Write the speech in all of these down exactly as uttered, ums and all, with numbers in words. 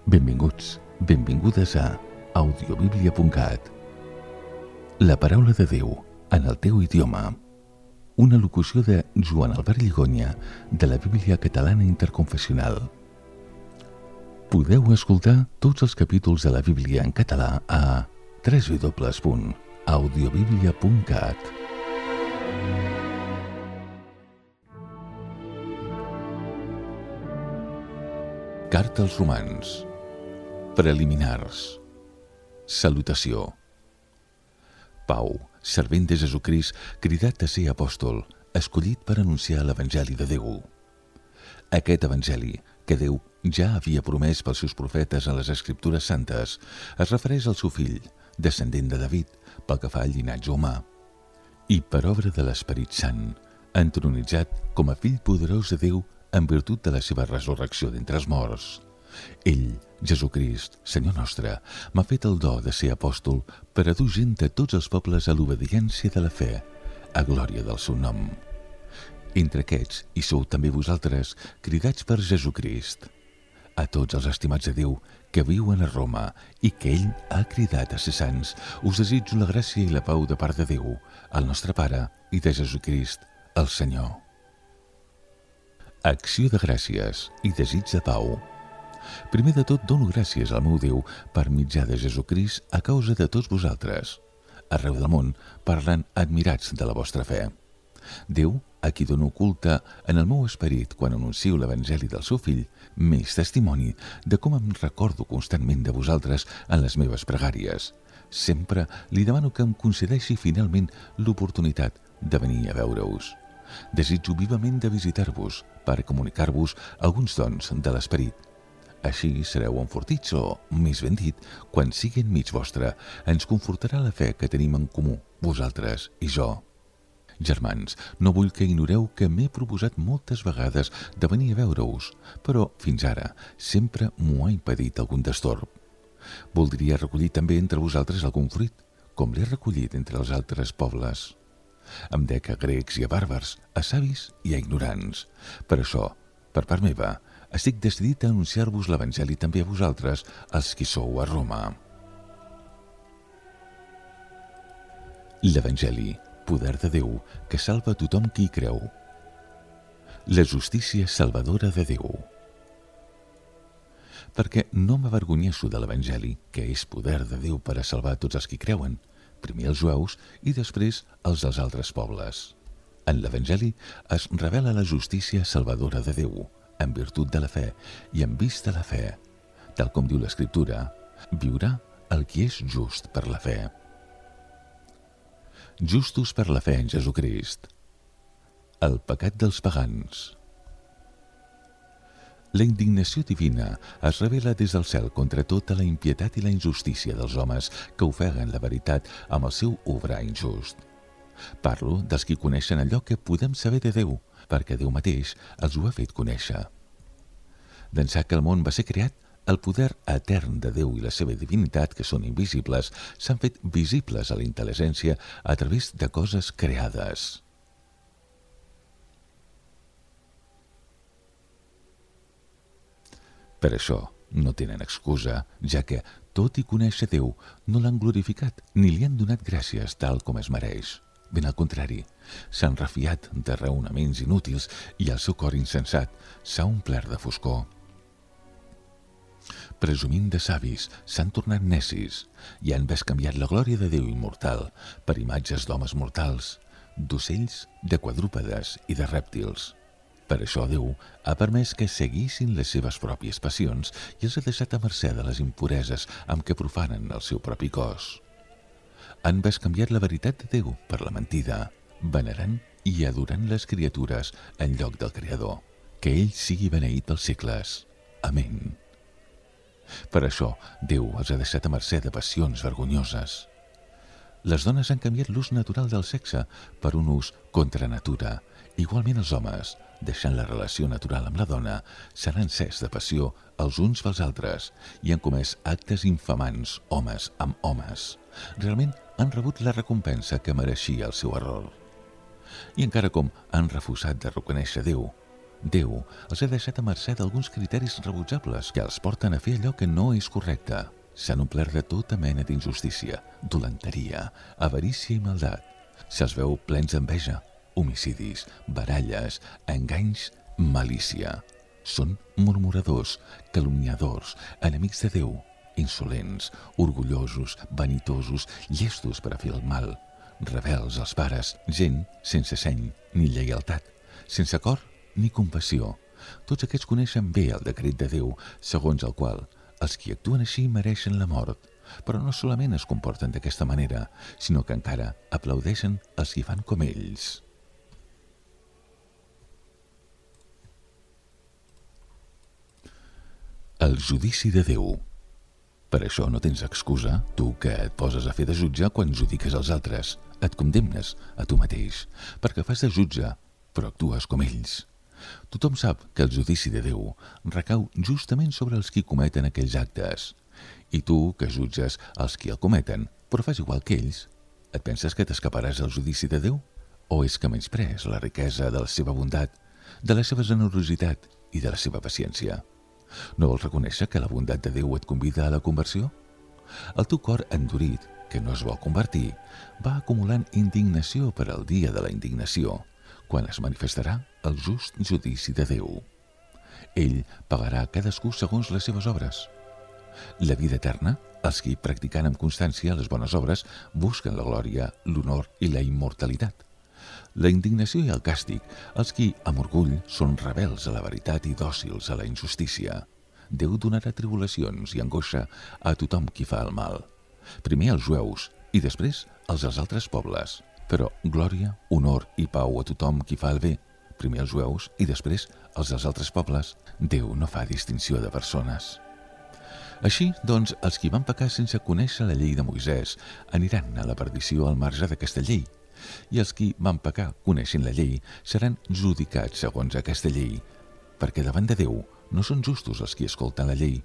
Benvinguts, benvingudes a audiobiblia punt cat. La paraula de Déu en el teu idioma. Una locució de Joan Albert Lligonya de la Bíblia Catalana Interconfessional. Podeu escoltar tots els capítols de la Bíblia en català a w w w punt audiobiblia punt cat. Carta als Romans. Preliminars. Salutació. Pau, servent de Jesucrist, cridat a ser apòstol, escollit per anunciar l'Evangeli de Déu. Aquest Evangeli, que Déu ja havia promès pels seus profetes en les Escriptures Santes, es refereix al seu fill, descendent de David, pel que fa al llinatge humà, i per obra de l'Esperit Sant, entronitzat com a fill poderós de Déu en virtut de la seva resurrecció d'entre els morts. Ell, Jesucrist, Senyor nostre, m'ha fet el do de ser apòstol per a dur gent de tots els pobles a l'obediència de la fe, a glòria del seu nom. Entre aquests hi sou també vosaltres, cridats per Jesucrist. A tots els estimats de Déu que viuen a Roma i que ell ha cridat a ser sants, us desitjo la gràcia i la pau de part de Déu, el nostre Pare, i de Jesucrist, el Senyor. Acció de gràcies i desig de pau. Primer de tot, dono gràcies al meu Déu per mitjà de Jesucrist a causa de tots vosaltres. Arreu del món parlen admirats de la vostra fe. Déu, a qui dono culte en el meu esperit quan anuncio l'Evangeli del seu fill, m'és testimoni de com em recordo constantment de vosaltres en les meves pregàries. Sempre li demano que em concedeixi finalment l'oportunitat de venir a veure-us. Desitjo vivament de visitar-vos per comunicar-vos alguns dons de l'esperit. Així sereu enfortits o, més ben dit, quan sigui enmig vostre, ens confortarà la fe que tenim en comú, vosaltres i jo. Germans, no vull que ignoreu que m'he proposat moltes vegades de venir a veure-us, però fins ara sempre m'ho ha impedit algun destorb. Voldria recollir també entre vosaltres algun fruit, com l'he recollit entre els altres pobles. Em dec a grecs i a bàrbars, a savis i a ignorants. Per això, per part meva, estic decidit a anunciar-vos l'Evangeli també a vosaltres, els qui sou a Roma. L'Evangeli, poder de Déu, que salva a tothom qui hi creu. La justícia salvadora de Déu. Perquè no m'avergonyeixo de l'Evangeli, que és poder de Déu per a salvar tots els qui creuen, primer els jueus i després els dels altres pobles. En l'Evangeli es revela la justícia salvadora de Déu, en virtut de la fe i en vista la fe. Tal com diu l'Escriptura, viurà el qui és just per la fe. Justos per la fe en Jesucrist. El pecat dels pagans. La indignació divina es revela des del cel contra tota la impietat i la injustícia dels homes que ofeguen la veritat amb el seu obrar injust. Parlo dels qui coneixen allò que podem saber de Déu, perquè Déu mateix els ho ha fet conèixer. D'ençà que el món va ser creat, el poder etern de Déu i la seva divinitat, que són invisibles, s'han fet visibles a la intel·ligència a través de coses creades. Per això no tenen excusa, ja que, tot i conèixer Déu, no l'han glorificat ni li han donat gràcies tal com es mereix. Ben al contrari, s'han refiat de raonaments inútils i el seu cor insensat s'ha omplert de foscor. Presumint de savis, s'han tornat necis i han bescanviat la glòria de Déu immortal per imatges d'homes mortals, d'ocells, de quadrúpedes i de rèptils. Per això Déu ha permès que seguissin les seves pròpies passions i els ha deixat a mercè de les impureses amb què profanen el seu propi cos. Han bescanviat la veritat de Déu per la mentida, venerant i adorant les criatures en lloc del Creador. Que ell sigui beneït pels segles. Amén. Per això, Déu els ha deixat a mercè de passions vergonyoses. Les dones han canviat l'ús natural del sexe per un ús contra natura. Igualment els homes, deixant la relació natural amb la dona, s'han encès de passió els uns pels altres i han comès actes infamants homes amb homes. Realment han rebut la recompensa que mereixia el seu error. I encara com han refusat de reconèixer Déu, Déu els ha deixat a mercè d'alguns criteris rebutjables que els porten a fer allò que no és correcte. S'han omplert de tota mena d'injustícia, dolenteria, avarícia i maldat. Se'ls veu plens d'enveja, homicidis, baralles, enganys, malícia. Són murmuradors, calumniadors, enemics de Déu, insolents, orgullosos, vanitosos, llestos per a fer el mal, rebels als pares, gent sense seny ni lleialtat, sense cor ni compassió. Tots aquests coneixen bé el decret de Déu, segons el qual els qui actuen així mereixen la mort, però no solament es comporten d'aquesta manera, sinó que encara aplaudeixen els qui fan com ells. El judici de Déu. Per això no tens excusa, tu que et poses a fer de jutge quan judiques els altres. Et condemnes a tu mateix, perquè fas de jutge, però actues com ells. Tothom sap que el judici de Déu recau justament sobre els qui cometen aquells actes. I tu, que jutges els qui el cometen, però fas igual que ells, et penses que t'escaparàs del judici de Déu? O és que menysprees la riquesa de la seva bondat, de la seva generositat i de la seva paciència? No vols reconèixer que la bondat de Déu et convida a la conversió? El teu cor endurit, que no es vol convertir, va acumulant indignació per al dia de la indignació, quan es manifestarà el just judici de Déu. Ell pagarà a cadascú segons les seves obres. La vida eterna, els qui, practicant amb constància les bones obres, busquen la glòria, l'honor i la immortalitat. La indignació i el càstig, els qui, amb orgull, són rebels a la veritat i dòcils a la injustícia. Déu donarà tribulacions i angoixa a tothom qui fa el mal. Primer als jueus i després als dels altres pobles. Però glòria, honor i pau a tothom qui fa el bé. Primer als jueus i després als dels altres pobles. Déu no fa distinció de persones. Així, doncs, els qui van pecar sense conèixer la llei de Moisès aniran a la perdició al marge d'aquesta llei, i els qui van pecar coneixent la llei seran judicats segons aquesta llei, perquè davant de Déu no són justos els qui escolten la llei,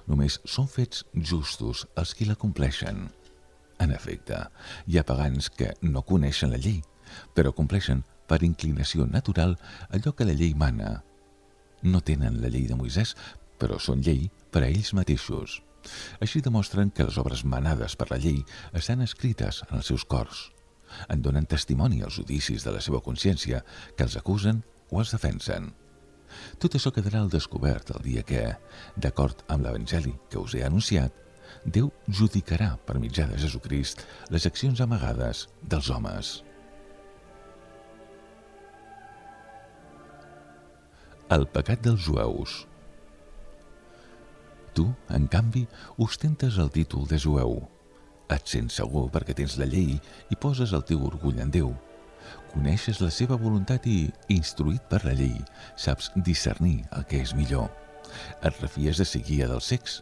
només són fets justos els qui la compleixen. En efecte, hi ha pagans que no coneixen la llei, però compleixen per inclinació natural allò que la llei mana. No tenen la llei de Moisès, però són llei per a ells mateixos. Així demostren que les obres manades per la llei estan escrites en els seus cors. En donen testimoni als judicis de la seva consciència que els acusen o els defensen. Tot això quedarà al descobert el dia que, d'acord amb l'Evangeli que us he anunciat, Déu judicarà per mitjà de Jesucrist les accions amagades dels homes. El pecat dels jueus. Tu, en canvi, ostentes el títol de jueu. Et sents segur perquè tens la llei i poses el teu orgull en Déu. Coneixes la seva voluntat i, instruït per la llei, saps discernir el que és millor. Et refies de ser guia dels cecs,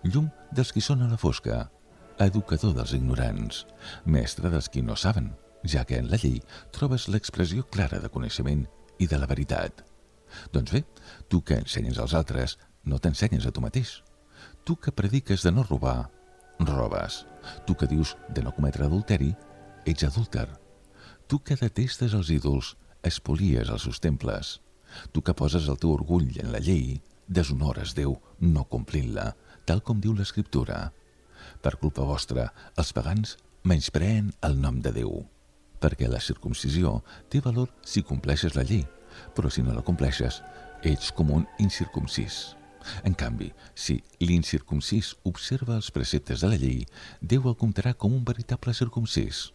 llum dels qui són a la fosca, educador dels ignorants, mestre dels qui no saben, ja que en la llei trobes l'expressió clara de coneixement i de la veritat. Doncs bé, tu que ensenyes als altres, no t'ensenyes a tu mateix. Tu que prediques de no robar, robes. Tu que dius de no cometre adulteri, ets adúlter. Tu que detestes els ídols, espolies els seus temples. Tu que poses el teu orgull en la llei, deshonores Déu no complint-la, tal com diu l'Escriptura. Per culpa vostra, els pagans menyspreen el nom de Déu, perquè la circumcisió té valor si compleixes la llei, però si no la compleixes, ets com un incircumcís. En canvi, si l'incircumcís observa els preceptes de la llei, Déu el comptarà com un veritable circumcís.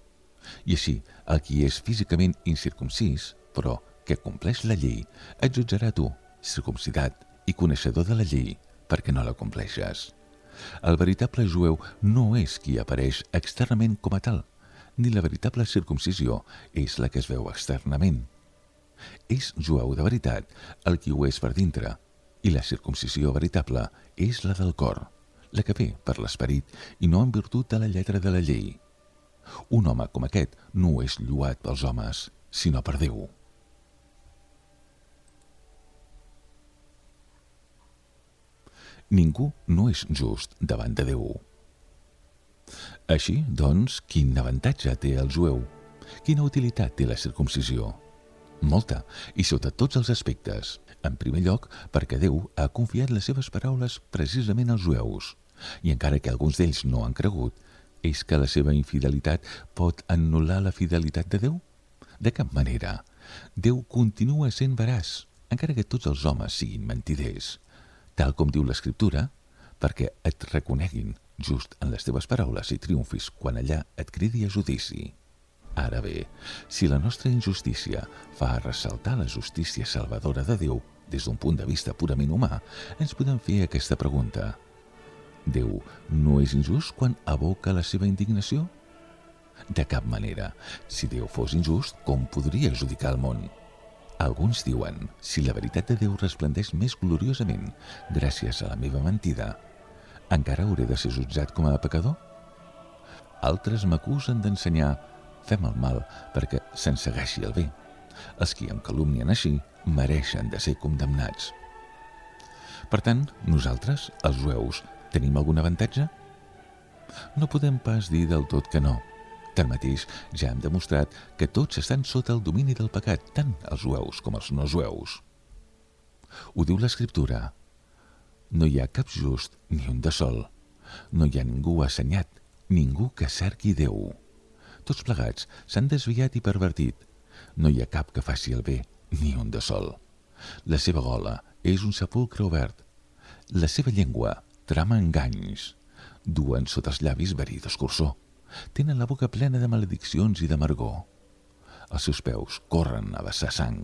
I així, el qui és físicament incircumcís, però que compleix la llei, et jutjarà tu, circumcidat i coneixedor de la llei, perquè no la compleixes. El veritable jueu no és qui apareix externament com a tal, ni la veritable circumcisió és la que es veu externament. És jueu de veritat el qui ho és per dintre, i la circumcisió veritable és la del cor, la que ve per l'esperit i no en virtut de la lletra de la llei. Un home com aquest no és lloat pels homes, sinó per Déu. Ningú no és just davant de Déu. Així, doncs, quin avantatge té el jueu? Quina utilitat té la circumcisió? Molta, i sota tots els aspectes. En primer lloc, perquè Déu ha confiat les seves paraules precisament als jueus, i encara que alguns d'ells no han cregut, és que la seva infidelitat pot anul·lar la fidelitat de Déu? De cap manera. Déu continua sent veraç, encara que tots els homes siguin mentiders, tal com diu l'Escriptura, perquè et reconeguin just en les teves paraules i triomfis quan allà et cridi a judici. Ara bé, si la nostra injustícia fa ressaltar la justícia salvadora de Déu des d'un punt de vista purament humà, ens podem fer aquesta pregunta. Déu no és injust quan aboca la seva indignació? De cap manera. Si Déu fos injust, com podria judicar el món? Alguns diuen, si la veritat de Déu resplendeix més gloriosament gràcies a la meva mentida, encara hauré de ser jutjat com a pecador? Altres m'acusen d'ensenyar fem el mal perquè se'n segueixi el bé. Els qui em calumnien així mereixen de ser condemnats. Per tant, nosaltres, els jueus, tenim algun avantatge? No podem pas dir del tot que no. Tanmateix, ja hem demostrat que tots estan sota el domini del pecat, tant els jueus com els no jueus. Ho diu l'Escriptura. No hi ha cap just ni un de sol. No hi ha ningú assenyat, ningú que cerqui Déu. Tots plegats s'han desviat i pervertit. No hi ha cap que faci el bé, ni un de sol. La seva gola és un sepulcre obert. La seva llengua trama enganys. Duen sota els llavis verí d'escurçó. Tenen la boca plena de malediccions i d'amargor. Els seus peus corren a vessar sang.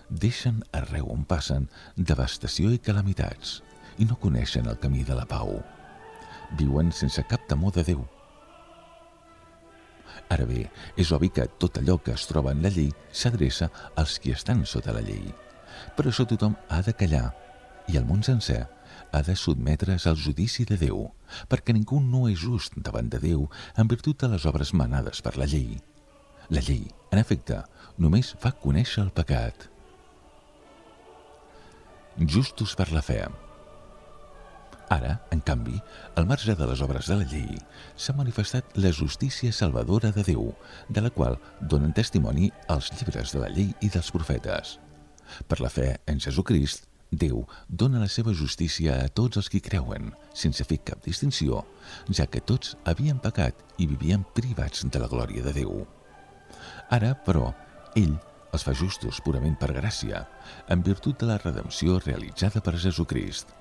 Deixen arreu on passen devastació i calamitats i no coneixen el camí de la pau. Viuen sense cap temor de Déu. Ara bé, és obvi que tot allò que es troba en la llei s'adreça als qui estan sota la llei. Per això tothom ha de callar i el món sencer ha de sotmetre's al judici de Déu, perquè ningú no és just davant de Déu en virtut de les obres manades per la llei. La llei, en efecte, només fa conèixer el pecat. Justos per la fe. Ara, en canvi, al marge de les obres de la llei, s'ha manifestat la justícia salvadora de Déu, de la qual donen testimoni els llibres de la llei i dels profetes. Per la fe en Jesucrist, Déu dona la seva justícia a tots els qui creuen, sense fer cap distinció, ja que tots havien pecat i vivien privats de la glòria de Déu. Ara, però, ell els fa justos purament per gràcia, en virtut de la redempció realitzada per Jesucrist.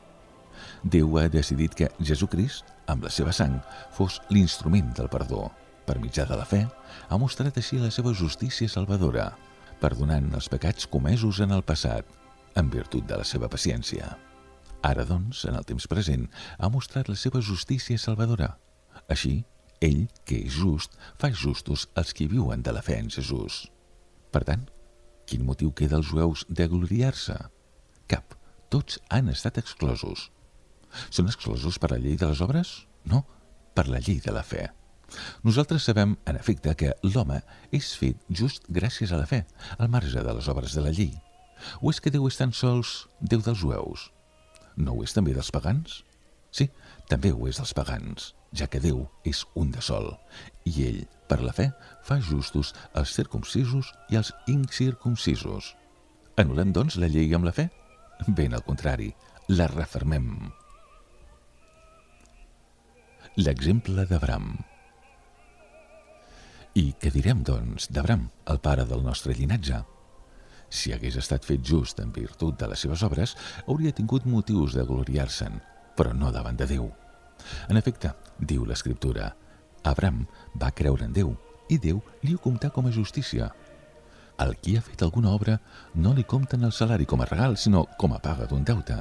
Déu ha decidit que Jesucrist, amb la seva sang, fos l'instrument del perdó. Per mitjà de la fe, ha mostrat així la seva justícia salvadora, perdonant els pecats comesos en el passat, en virtut de la seva paciència. Ara, doncs, en el temps present, ha mostrat la seva justícia salvadora. Així, ell, que és just, fa justos els qui viuen de la fe en Jesús. Per tant, quin motiu queda als jueus de gloriar-se? Cap. Tots han estat exclosos. Són exclosos per la llei de les obres? No, per la llei de la fe. Nosaltres sabem, en efecte, que l'home és fet just gràcies a la fe, al marge de les obres de la llei. O és que Déu és tan sols Déu dels jueus? No ho és també dels pagans? Sí, també ho és dels pagans, ja que Déu és un de sol, i ell, per la fe, fa justos els circumcisos i els incircumcisos. Anul·lem, doncs, la llei amb la fe? Ben al contrari, la refermem. L'exemple d'Abram. I què direm, doncs, d'Abram, el pare del nostre llinatge? Si hagués estat fet just en virtut de les seves obres, hauria tingut motius de gloriar-se'n, però no davant de Déu. En efecte, diu l'Escriptura, Abram va creure en Déu, i Déu li ho comptà com a justícia. Al qui ha fet alguna obra no li compten el salari com a regal, sinó com a paga d'un deute,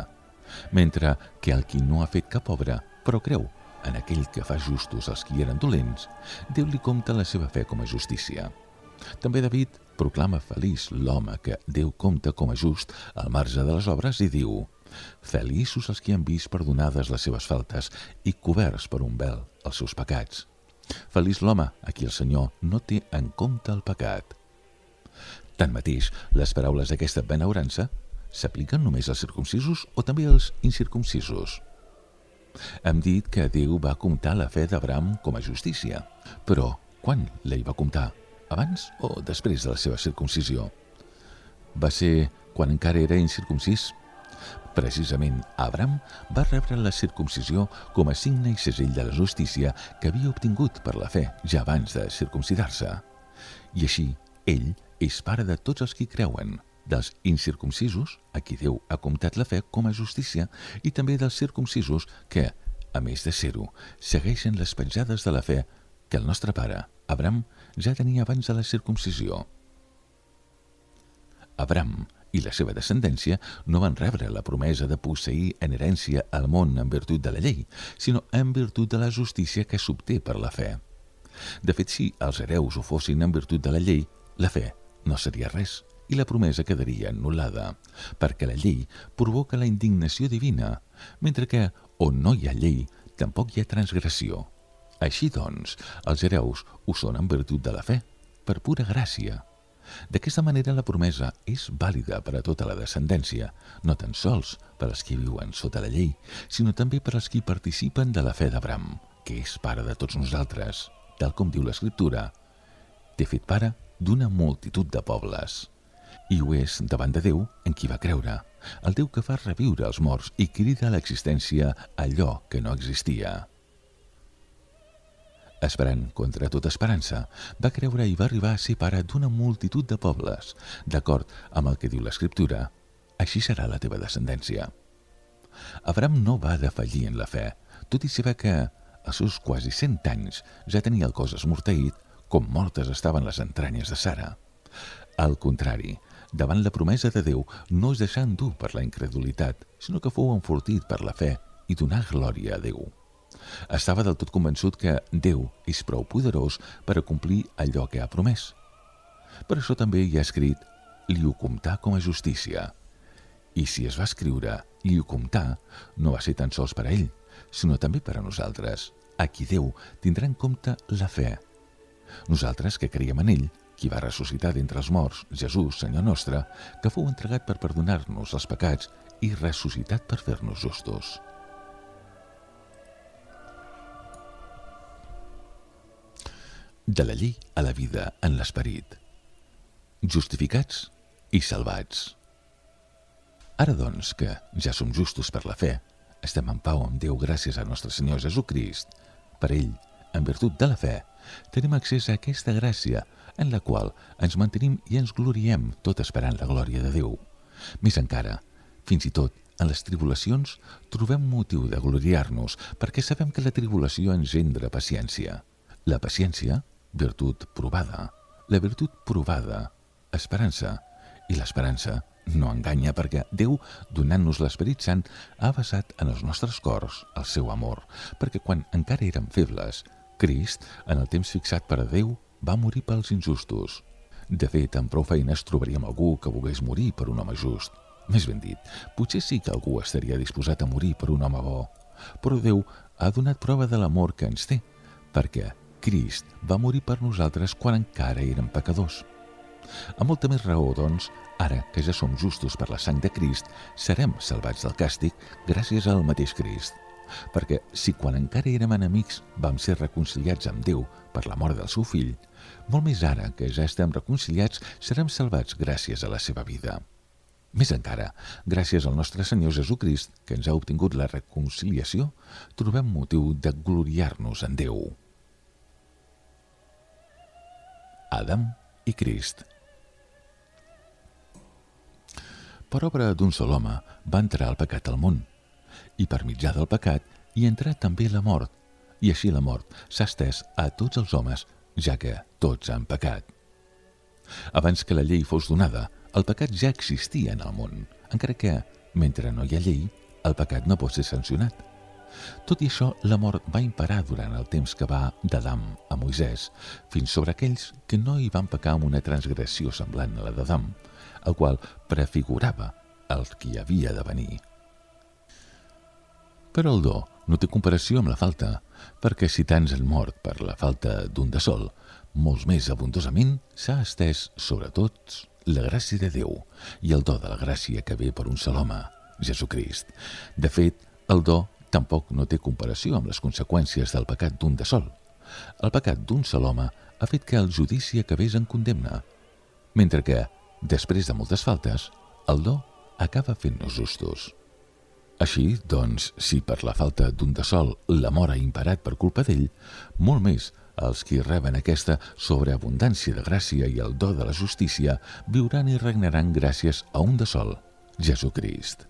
mentre que al qui no ha fet cap obra, però creu en aquell que fa justos els qui eren dolents, Déu li compta la seva fe com a justícia. També David proclama feliç l'home que Déu compta com a just al marge de les obres i diu: feliços els qui han vist perdonades les seves faltes i coberts per un vel els seus pecats. Feliç l'home a qui el Senyor no té en compte el pecat. Tanmateix, les paraules d'aquesta benaurança s'apliquen només als circumcisos o també als incircumcisos? Hem dit que Déu va comptar la fe d'Abram com a justícia, però quan la hi va comptar? Abans o després de la seva circumcisió? Va ser quan encara era incircumcís. Precisament, Abraham va rebre la circumcisió com a signe i segell de la justícia que havia obtingut per la fe ja abans de circumcidar-se. I així, ell és pare de tots els qui creuen, dels incircumcisos, a qui Déu ha comptat la fe com a justícia, i també dels circumcisos que, a més de ser-ho, segueixen les petjades de la fe que el nostre pare, Abraham, ja tenia abans de la circumcisió. Abraham i la seva descendència no van rebre la promesa de posseir en herència el món en virtut de la llei, sinó en virtut de la justícia que s'obté per la fe. De fet, si els hereus ho fossin en virtut de la llei, la fe no seria res i la promesa quedaria anul·lada, perquè la llei provoca la indignació divina, mentre que on no hi ha llei, tampoc hi ha transgressió. Així doncs, els hereus ho són en virtut de la fe, per pura gràcia. D'aquesta manera la promesa és vàlida per a tota la descendència, no tan sols per als qui viuen sota la llei, sinó també per als qui participen de la fe d'Abraham, que és pare de tots nosaltres, tal com diu l'Escriptura. T'he fet pare d'una multitud de pobles. I ho és davant de Déu en qui va creure, el Déu que fa reviure els morts i crida a l'existència allò que no existia. Esperant contra tota esperança, va creure i va arribar a ser pare d'una multitud de pobles, d'acord amb el que diu l'Escriptura. Així serà la teva descendència. Abraham no va defallir en la fe, tot i saber que, als seus quasi cent anys, ja tenia el cos esmorteït, com mortes estaven les entranyes de Sara. Al contrari, davant la promesa de Déu no es deixà endur per la incredulitat, sinó que fou enfortit per la fe i donà glòria a Déu. Estava del tot convençut que Déu és prou poderós per a complir allò que ha promès. Per això també hi ha escrit «li ho comptà com a justícia». I si es va escriure «li ho comptà», no va ser tan sols per a ell, sinó també per a nosaltres, a qui Déu tindrà en compte la fe. Nosaltres que creiem en ell, qui va ressuscitar d'entre els morts, Jesús, Senyor nostre, que fou entregat per perdonar-nos els pecats i ressuscitat per fer-nos justos. De la llei a la vida en l'esperit. Justificats i salvats. Ara, doncs, que ja som justos per la fe, estem en pau amb Déu gràcies al nostre Senyor Jesucrist. Per ell, en virtut de la fe, tenim accés a aquesta gràcia en la qual ens mantenim i ens gloriem tot esperant la glòria de Déu. Més encara, fins i tot en les tribulacions trobem motiu de gloriar-nos perquè sabem que la tribulació engendra paciència. La paciència, virtut provada, la virtut provada, esperança, i l'esperança no enganya perquè Déu, donant-nos l'Esperit Sant, ha basat en els nostres cors el seu amor, perquè quan encara érem febles, Crist, en el temps fixat per a Déu, va morir pels injustos. De fet, amb prou feines trobaríem algú que volgués morir per un home just. Més ben dit, potser sí que algú estaria disposat a morir per un home bo, però Déu ha donat prova de l'amor que ens té, perquè Crist va morir per nosaltres quan encara érem pecadors. A molta més raó, doncs, ara que ja som justos per la sang de Crist, serem salvats del càstig gràcies al mateix Crist. Perquè si quan encara érem enemics vam ser reconciliats amb Déu per la mort del seu fill, molt més ara que ja estem reconciliats serem salvats gràcies a la seva vida. Més encara, gràcies al nostre Senyor Jesucrist, que ens ha obtingut la reconciliació, trobem motiu de gloriar-nos en Déu. Adam i Crist. Per obra d'un sol home va entrar el pecat al món, i per mitjà del pecat hi entrà també la mort, i així la mort s'ha estès a tots els homes, ja que tots han pecat. Abans que la llei fos donada, el pecat ja existia en el món, encara que, mentre no hi ha llei, el pecat no pot ser sancionat. Tot i això, la mort va imperar durant el temps que va d'Adam a Moisès, fins sobre aquells que no hi van pecar amb una transgressió semblant a la d'Adam, el qual prefigurava el que havia de venir. Però el do no té comparació amb la falta, perquè si tants han mort per la falta d'un de sol, molts més abundosament s'ha estès sobre tots la gràcia de Déu i el do de la gràcia que ve per un sol home, Jesucrist. De fet, el do tampoc no té comparació amb les conseqüències del pecat d'un de sol. El pecat d'un sol home ha fet que el judici acabés en condemna, mentre que, després de moltes faltes, el do acaba fent-nos justos. Així, doncs, si per la falta d'un de sol l'amor ha imparat per culpa d'ell, molt més els qui reben aquesta sobreabundància de gràcia i el do de la justícia viuran i regnaran gràcies a un de sol, Jesucrist.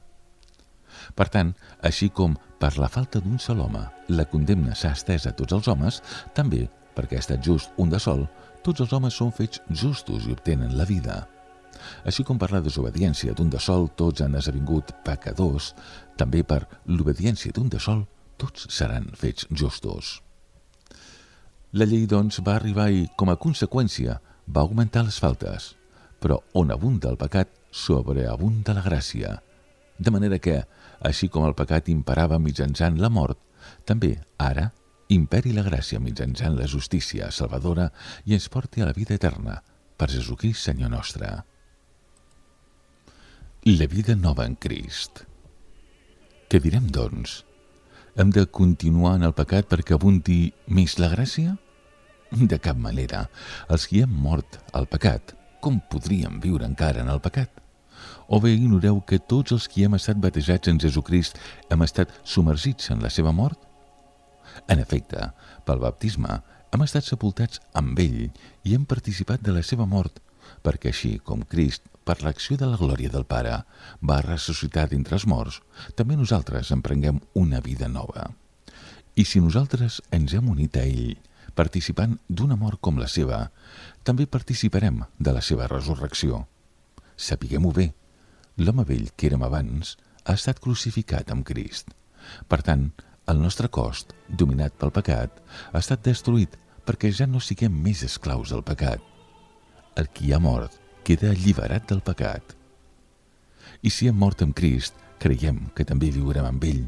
Per tant, així com per la falta d'un sol home la condemna s'ha estès a tots els homes, també, perquè ha estat just un de sol, tots els homes són fets justos i obtenen la vida. Així com per la desobediència d'un de sol tots han esdevingut pecadors, també per l'obediència d'un de sol tots seran fets justos. La llei, doncs, va arribar i, com a conseqüència, va augmentar les faltes, però on abunda el pecat, sobreabunda la gràcia. De manera que, així com el pecat imperava mitjançant la mort, també, ara, imperi la gràcia mitjançant la justícia salvadora i ens porti a la vida eterna, per Jesucrist Senyor nostre. La vida nova en Crist. Què direm, doncs? Hem de continuar en el pecat perquè abundi més la gràcia? De cap manera. Els qui hem mort al pecat, com podríem viure encara en el pecat? O bé ignoreu que tots els qui hem estat batejats en Jesucrist hem estat submergits en la seva mort? En efecte, pel baptisme hem estat sepultats amb ell i hem participat de la seva mort, perquè així com Crist, per l'acció de la glòria del Pare, va ressuscitar d'entre els morts, també nosaltres emprenguem una vida nova. I si nosaltres ens hem unit a ell, participant d'una mort com la seva, també participarem de la seva resurrecció. Sapiguem-ho bé, l'home vell que érem abans ha estat crucificat amb Crist. Per tant, el nostre cos, dominat pel pecat, ha estat destruït perquè ja no siguem més esclaus del pecat. El qui ha mort queda alliberat del pecat. I si hem mort amb Crist, creiem que també viurem amb ell.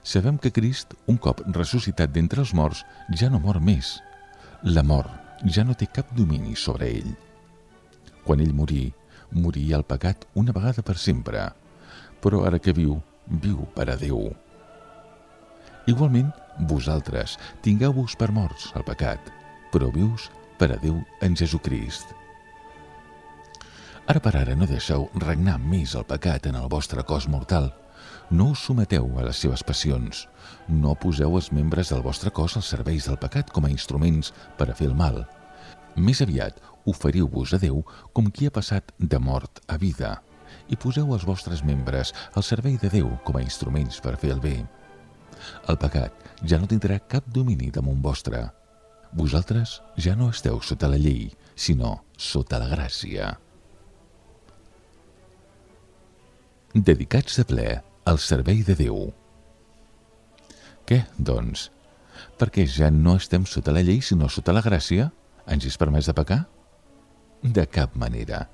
Sabem que Crist, un cop ressuscitat d'entre els morts, ja no mor més. La mort ja no té cap domini sobre ell. Quan ell morí, morí el pecat una vegada per sempre, però ara que viu, viu per a Déu. Igualment, vosaltres tingueu-vos per morts al pecat, però vius per a Déu en Jesucrist. Ara per ara no deixeu regnar més el pecat en el vostre cos mortal. No us someteu a les seves passions. No poseu els membres del vostre cos als serveis del pecat com a instruments per a fer el mal. Més aviat, oferiu-vos a Déu com qui ha passat de mort a vida i poseu els vostres membres al servei de Déu com a instruments per fer el bé. El pecat ja no tindrà cap domini damunt vostre. Vosaltres ja no esteu sota la llei, sinó sota la gràcia. Dedicats de ple al servei de Déu. Què, doncs? Perquè ja no estem sota la llei, sinó sota la gràcia? Ens és permès de pecar? De cap manera.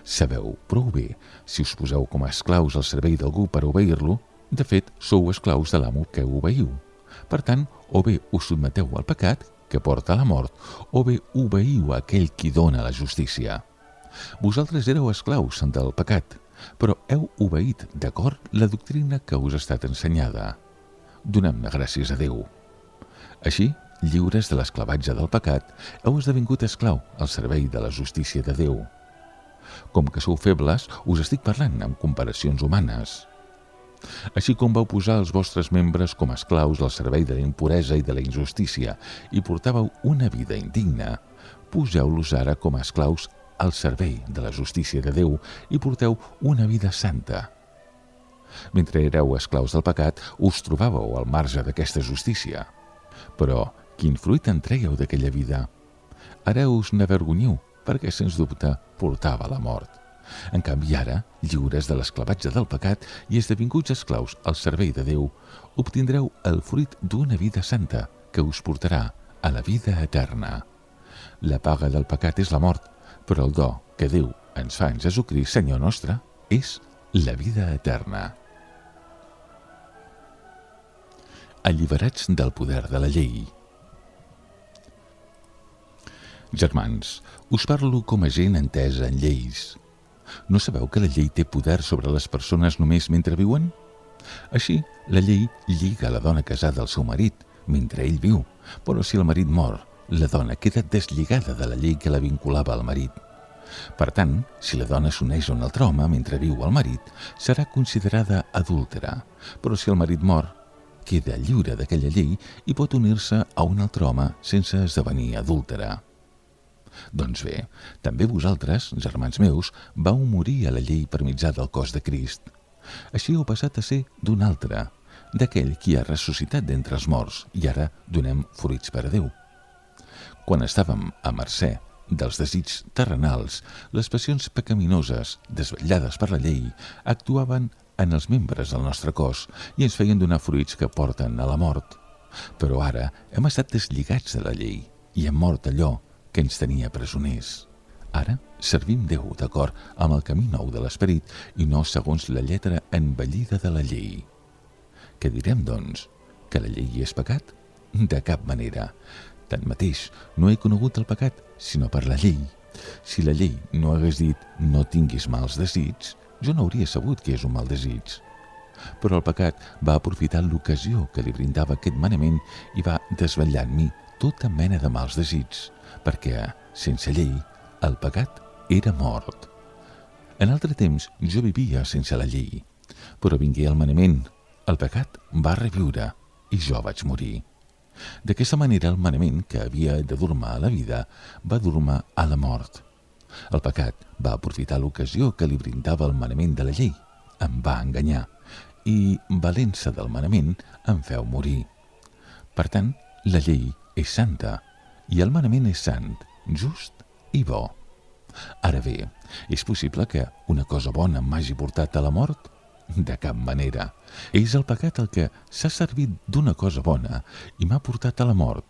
Sabeu prou bé, si us poseu com a esclaus al servei d'algú per obeir-lo, de fet, sou esclaus de l'amo que obeiu. Per tant, o bé us sotmeteu al pecat, que porta a la mort, o bé obeiu a aquell qui dona la justícia. Vosaltres éreu esclaus del pecat, però heu obeït d'acord la doctrina que us ha estat ensenyada. Donem-ne gràcies a Déu. Així, lliures de l'esclavatge del pecat, heu esdevingut esclau al servei de la justícia de Déu. Com que sou febles, us estic parlant amb comparacions humanes. Així com vau posar els vostres membres com a esclaus al servei de la impuresa i de la injustícia i portàveu una vida indigna, poseu-los ara com a esclaus al servei de la justícia de Déu i porteu una vida santa. Mentre éreu esclaus del pecat, us trobàveu al marge d'aquesta justícia. Però quin fruit en trèieu d'aquella vida? Ara us n'avergonyiu, perquè sens dubte portava la mort. En canvi ara, lliures de l'esclavatge del pecat i esdevinguts esclaus al servei de Déu, obtindreu el fruit d'una vida santa que us portarà a la vida eterna. La paga del pecat és la mort, però el do que Déu ens fa en Jesucrist, Senyor nostre, és la vida eterna. Alliberats del poder de la llei. Germans, us parlo com a gent entesa en lleis. No sabeu que la llei té poder sobre les persones només mentre viuen? Així, la llei lliga la dona casada al seu marit mentre ell viu, però si el marit mor, la dona queda deslligada de la llei que la vinculava al marit. Per tant, si la dona s'uneix a un altre home mentre viu el marit, serà considerada adúltera, però si el marit mor, queda lliure d'aquella llei i pot unir-se a un altre home sense esdevenir adúltera. Doncs bé, també vosaltres, germans meus, vau morir a la llei per mitjà del cos de Crist. Així heu passat a ser d'un altre, d'aquell qui ha ressuscitat d'entre els morts, i ara donem fruits per a Déu. Quan estàvem a mercè dels desigs terrenals, les passions pecaminoses, desvetllades per la llei, actuaven en els membres del nostre cos i ens feien donar fruits que porten a la mort. Però ara hem estat deslligats de la llei i hem mort allò que ens tenia presoners. Ara servim Déu d'acord amb el camí nou de l'esperit i no segons la lletra envellida de la llei. Què direm, doncs? Que la llei és pecat? De cap manera. Tanmateix, no he conegut el pecat, sinó per la llei. Si la llei no hagués dit no tinguis mals desigs, jo no hauria sabut què és un mal desig. Però el pecat va aprofitar l'ocasió que li brindava aquest manament i va desvetllar en mi tota mena de mals desigs, perquè, sense llei, el pecat era mort. En altre temps jo vivia sense la llei, però vingué el manament, el pecat va reviure i jo vaig morir. D'aquesta manera el manament que havia de dur-me a la vida va dur-me a la mort. El pecat va aprofitar l'ocasió que li brindava el manament de la llei, em va enganyar i, valent-se del manament, em feu morir. Per tant, la llei és santa i el manament és sant, just i bo. Ara bé, és possible que una cosa bona m'hagi portat a la mort? De cap manera. És el pecat el que s'ha servit d'una cosa bona i m'ha portat a la mort.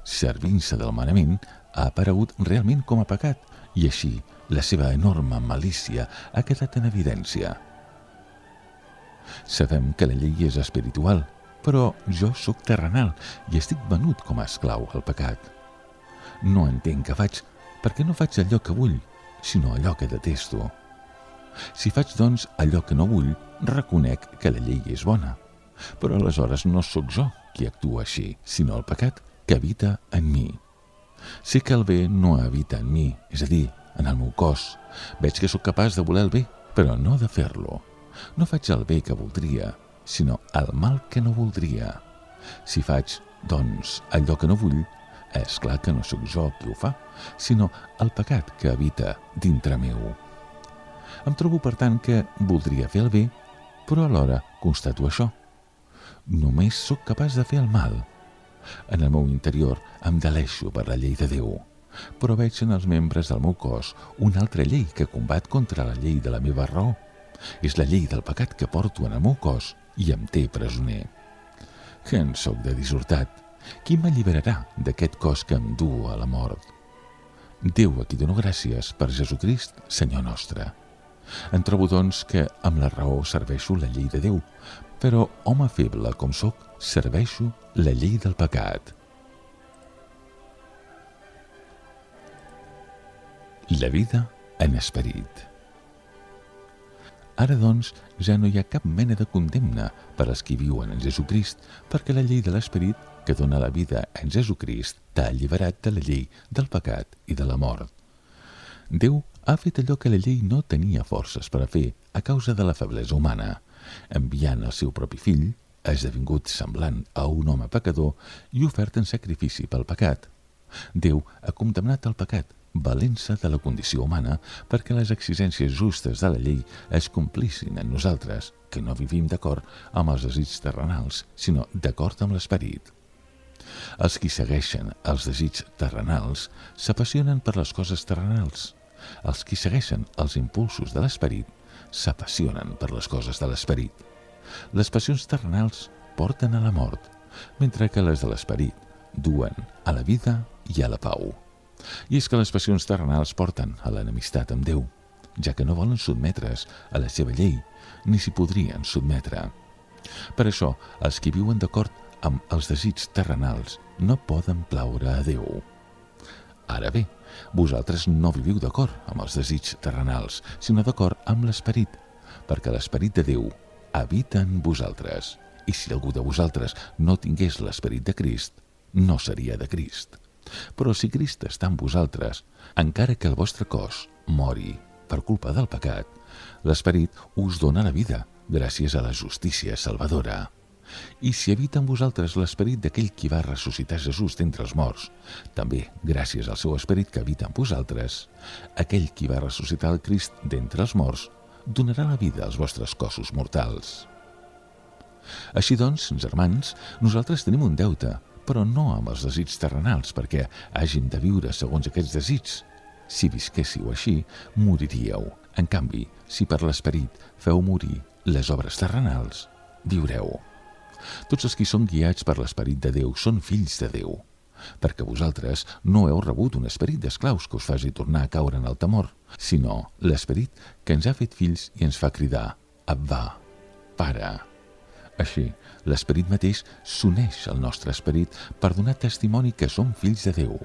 Servint-se del manament ha aparegut realment com a pecat i així la seva enorme malícia ha quedat en evidència. Sabem que la llei és espiritual, però jo sóc terrenal i estic venut com a esclau al pecat. No entenc què faig, perquè no faig allò que vull, sinó allò que detesto. Si faig, doncs, allò que no vull, reconec que la llei és bona. Però aleshores no sóc jo qui actua així, sinó el pecat que habita en mi. Sé que el bé no habita en mi, és a dir, en el meu cos. Veig que sóc capaç de voler el bé, però no de fer-lo. No faig el bé que voldria, sinó el mal que no voldria. Si faig, doncs, allò que no vull, és clar que no sóc jo qui ho fa, sinó el pecat que habita dintre meu. Em trobo, per tant, que voldria fer el bé, però alhora constato això. Només sóc capaç de fer el mal. En el meu interior em deleixo per la llei de Déu, però veig en els membres del meu cos una altra llei que combat contra la llei de la meva raó. És la llei del pecat que porto en el meu cos i em té presoner. Que en sóc de dissortat. Qui m'alliberarà d'aquest cos que em du a la mort? Déu a qui dono gràcies per Jesucrist, Senyor nostre. Em trobo, doncs, que amb la raó serveixo la llei de Déu, però, home feble com sóc, serveixo la llei del pecat. La vida en esperit. Ara, doncs, ja no hi ha cap mena de condemna per als qui viuen en Jesucrist, perquè la llei de l'esperit que dona la vida en Jesucrist t'ha alliberat de la llei del pecat i de la mort. Déu ha fet allò que la llei no tenia forces per a fer a causa de la feblesa humana, enviant el seu propi fill, esdevingut semblant a un home pecador i ofert en sacrifici pel pecat. Déu ha condemnat el pecat, valent-se de la condició humana perquè les exigències justes de la llei es complissin en nosaltres, que no vivim d'acord amb els desigs terrenals, sinó d'acord amb l'esperit. Els qui segueixen els desigs terrenals s'apassionen per les coses terrenals. Els qui segueixen els impulsos de l'esperit s'apassionen per les coses de l'esperit. Les passions terrenals porten a la mort, mentre que les de l'esperit duen a la vida i a la pau. I és que les passions terrenals porten a l'enemistat amb Déu, ja que no volen sotmetre's a la seva llei, ni s'hi podrien sotmetre. Per això, els qui viuen d'acord amb els desigs terrenals no poden plaure a Déu. Ara bé, vosaltres no viviu d'acord amb els desigs terrenals, sinó d'acord amb l'esperit, perquè l'esperit de Déu habita en vosaltres. I si algú de vosaltres no tingués l'esperit de Crist, no seria de Crist. Però si Crist està en vosaltres, encara que el vostre cos mori per culpa del pecat, l'Esperit us dona la vida gràcies a la justícia salvadora. I si habita en vosaltres l'esperit d'aquell qui va ressuscitar Jesús d'entre els morts, també gràcies al seu esperit que habita en vosaltres, aquell qui va ressuscitar el Crist d'entre els morts donarà la vida als vostres cossos mortals. Així doncs, germans, nosaltres tenim un deute, però no amb els desigs terrenals, perquè hàgim de viure segons aquests desigs. Si visquéssiu així, moriríeu. En canvi, si per l'esperit feu morir les obres terrenals, viureu. Tots els qui són guiats per l'esperit de Déu són fills de Déu, perquè vosaltres no heu rebut un esperit d'esclaus que us faci tornar a caure en el temor, sinó l'esperit que ens ha fet fills i ens fa cridar Abba, Pare. Així, l'esperit mateix s'uneix al nostre esperit per donar testimoni que som fills de Déu.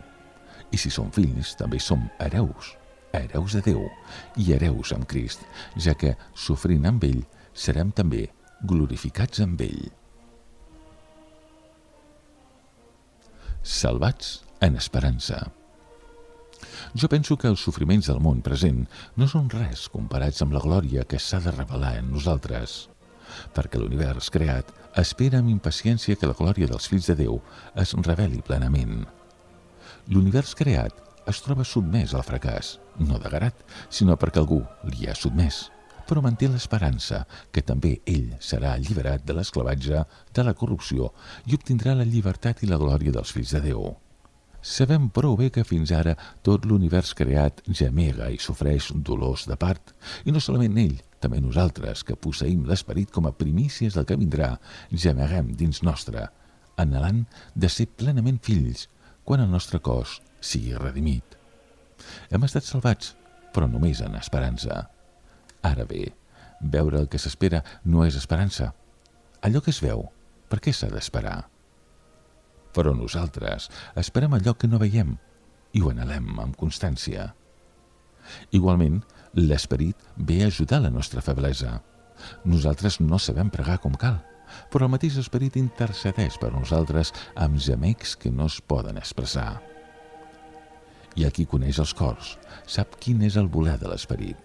I si som fills, també som hereus, hereus de Déu i hereus amb Crist, ja que, sofrint amb ell, serem també glorificats amb ell. Salvats en esperança. Jo penso que els sofriments del món present no són res comparats amb la glòria que s'ha de revelar en nosaltres, perquè l'univers creat espera amb impaciència que la glòria dels fills de Déu es reveli plenament. L'univers creat es troba sotmès al fracàs, no de grat, sinó perquè algú li ha sotmès, però manté l'esperança que també ell serà alliberat de l'esclavatge, de la corrupció i obtindrà la llibertat i la glòria dels fills de Déu. Sabem prou bé que fins ara tot l'univers creat gemega i sofreix dolors de part, i no solament ell, també nosaltres, que posseïm l'esperit com a primícies del que vindrà, gemeguem dins nostre, anhelant de ser plenament fills quan el nostre cos sigui redimit. Hem estat salvats, però només en esperança. Ara bé, veure el que s'espera no és esperança. Allò que es veu, per què s'ha d'esperar? Però nosaltres esperem allò que no veiem i ho anhelem amb constància. Igualment, l'esperit ve a ajudar la nostra feblesa. Nosaltres no sabem pregar com cal, però el mateix esperit intercedeix per nosaltres amb gemecs que no es poden expressar. I el qui coneix els cors sap quin és el voler de l'esperit.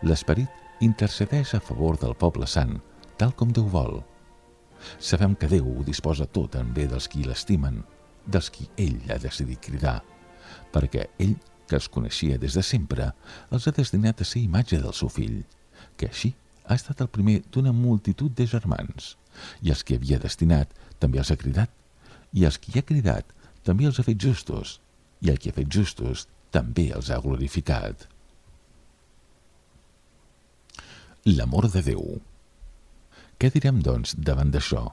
L'esperit intercedeix a favor del poble sant, tal com Déu vol. Sabem que Déu ho disposa tot en bé dels qui l'estimen, dels qui ell ha decidit cridar, perquè ell, que els coneixia des de sempre, els ha destinat a ser imatge del seu fill, que així ha estat el primer d'una multitud de germans, i els que havia destinat també els ha cridat, i els qui ha cridat també els ha fet justos, i el qui ha fet justos també els ha glorificat. L'amor de Déu. Què direm, doncs, davant d'això?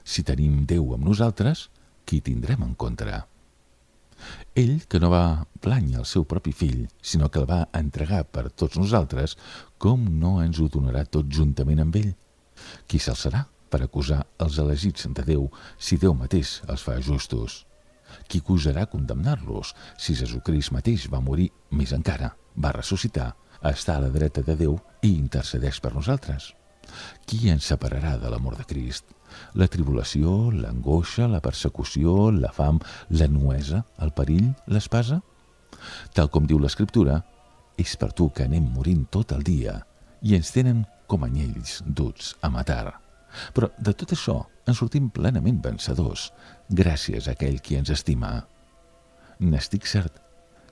Si tenim Déu amb nosaltres, qui tindrem en contra? Ell, que no va plànyer el seu propi fill, sinó que el va entregar per tots nosaltres, com no ens ho donarà tot juntament amb ell? Qui s'alçarà per acusar els elegits de Déu si Déu mateix els fa justos? Qui gosarà condemnar-los si Jesucrist mateix va morir, més encara, va ressuscitar, està a la dreta de Déu i intercedeix per nosaltres? Qui ens separarà de l'amor de Crist? La tribulació, l'angoixa, la persecució, la fam, la nuesa, el perill, l'espasa? Tal com diu l'Escriptura, és per tu que anem morint tot el dia i ens tenen com anyells duts a matar. Però de tot això en sortim plenament vencedors, gràcies a aquell qui ens estima. N'estic cert,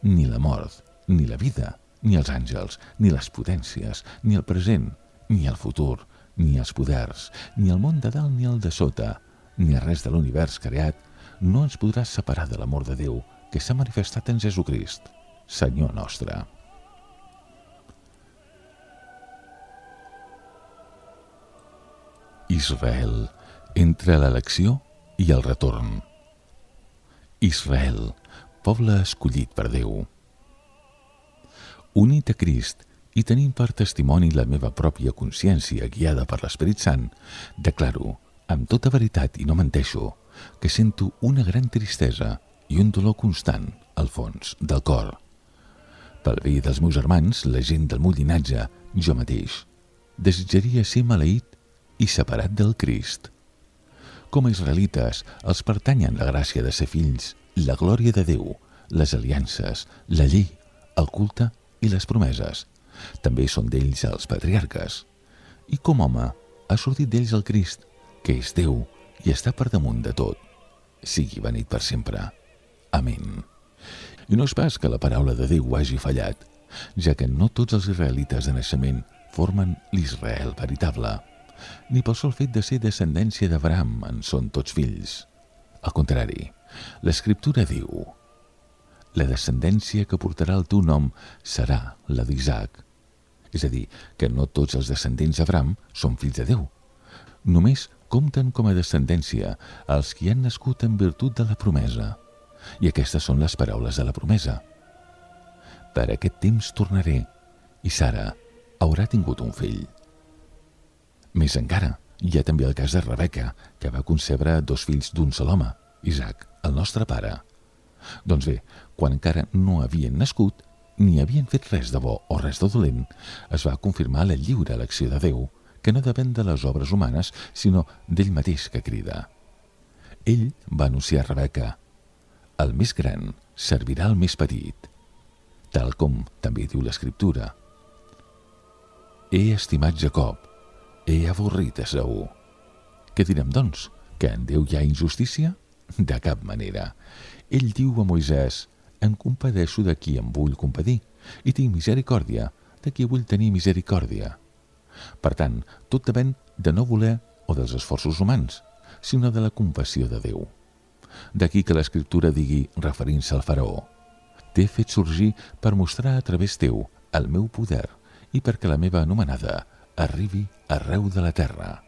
ni la mort, ni la vida, ni els àngels, ni les potències, ni el present, ni el futur, ni els poders, ni el món de dalt ni el de sota, ni res de l'univers creat, no ens podrà separar de l'amor de Déu que s'ha manifestat en Jesucrist, Senyor nostre. Israel, entre l'elecció i el retorn. Israel, poble escollit per Déu. Unit a Crist i tenint per testimoni la meva pròpia consciència guiada per l'Esperit Sant, declaro, amb tota veritat i no menteixo, que sento una gran tristesa i un dolor constant al fons del cor. Pel bé dels meus germans, la gent del meu llinatge, jo mateix, desitjaria ser maleït i separat del Crist. Com a israelites, els pertanyen la gràcia de ser fills, la glòria de Déu, les aliances, la llei, el culte i les promeses. També són d'ells els patriarques. I com home, ha sortit d'ells el Crist, que és Déu i està per damunt de tot. Sigui benit per sempre. Amén. I no és pas que la paraula de Déu hagi fallat, ja que no tots els israelites de naixement formen l'Israel veritable, ni pel sol fet de ser descendència d'Abraham en són tots fills. Al contrari, l'Escriptura diu: la descendència que portarà el teu nom serà la d'Isaac. És a dir, que no tots els descendents d'Abraham són fills de Déu. Només compten com a descendència els qui han nascut en virtut de la promesa. I aquestes són les paraules de la promesa. Per aquest temps tornaré, i Sara haurà tingut un fill. Més encara, hi ha també el cas de Rebeca, que va concebre dos fills d'un sol home, Isaac, el nostre pare. Doncs bé, quan encara no havien nascut, ni havien fet res de bo o res de dolent, es va confirmar la lliure elecció de Déu, que no depèn de les obres humanes, sinó d'ell mateix que crida. Ell va anunciar a Rebeca: el més gran servirà al més petit, tal com també diu l'Escriptura. He estimat Jacob, he avorrit Esaú. Què direm, doncs? Que en Déu hi ha injustícia? De cap manera. Ell diu a Moisès: em compadeixo de qui em vull compadir, i tinc misericòrdia de qui vull tenir misericòrdia. Per tant, tot depèn de no voler o dels esforços humans, sinó de la compassió de Déu. D'aquí que l'Escriptura digui, referint-se al faraó: t'he fet sorgir per mostrar a través teu el meu poder i perquè la meva anomenada arribi arreu de la terra.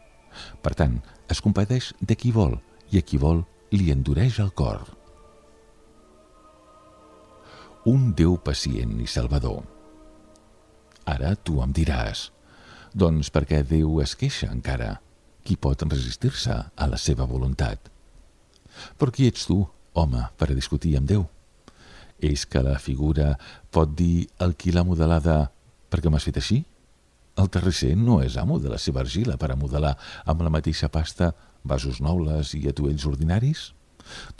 Per tant, es compadeix de qui vol i a qui vol li endureix el cor. Un Déu pacient i salvador. Ara tu em diràs: doncs per què Déu es queixa encara? Qui pot resistir-se a la seva voluntat? Però qui ets tu, home, per a discutir amb Déu? És que la figura pot dir el qui l'ha modelada perquè m'has fet així? El terrisser no és amo de la seva argila per a modelar amb la mateixa pasta vasos nobles i atuells ordinaris?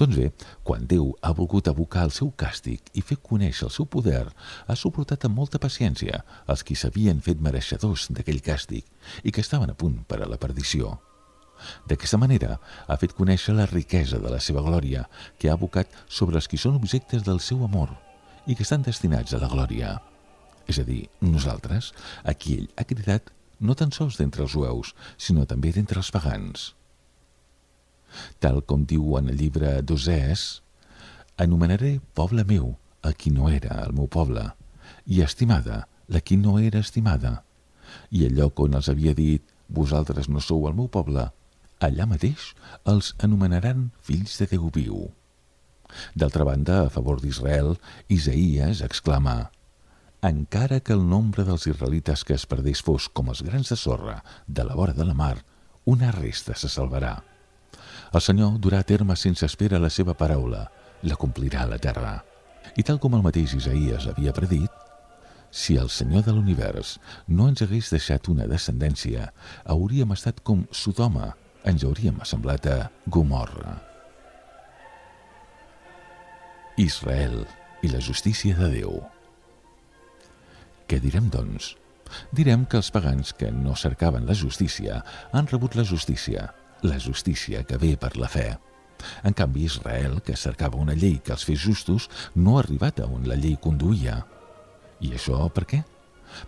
Doncs bé, quan Déu ha volgut abocar el seu càstig i fer conèixer el seu poder, ha suportat amb molta paciència els qui s'havien fet mereixedors d'aquell càstig i que estaven a punt per a la perdició. D'aquesta manera ha fet conèixer la riquesa de la seva glòria, que ha abocat sobre els qui són objectes del seu amor i que estan destinats a la glòria. És a dir, nosaltres, a qui ell ha cridat no tan sols d'entre els jueus, sinó també d'entre els pagans. Tal com diu en el llibre d'Osés: anomenaré poble meu a qui no era el meu poble, i estimada la qui no era estimada. I el lloc on els havia dit: vosaltres no sou el meu poble, allà mateix els anomenaran fills de Déu viu. D'altra banda, a favor d'Israel, Isaïes exclama: encara que el nombre dels israelites que es perdés fos com els grans de sorra de la vora de la mar, una resta se salvarà. El Senyor durà a terme sense espera la seva paraula, la complirà a la terra. I tal com el mateix Isaïes havia predit, si el Senyor de l'univers no ens hagués deixat una descendència, hauríem estat com Sodoma, ens hauríem assemblat a Gomorra. Israel i la justícia de Déu. Què direm, doncs? Direm que els pagans que no cercaven la justícia han rebut la justícia, la justícia que ve per la fe. En canvi, Israel, que cercava una llei que els fes justos, no ha arribat a on la llei conduïa. I això per què?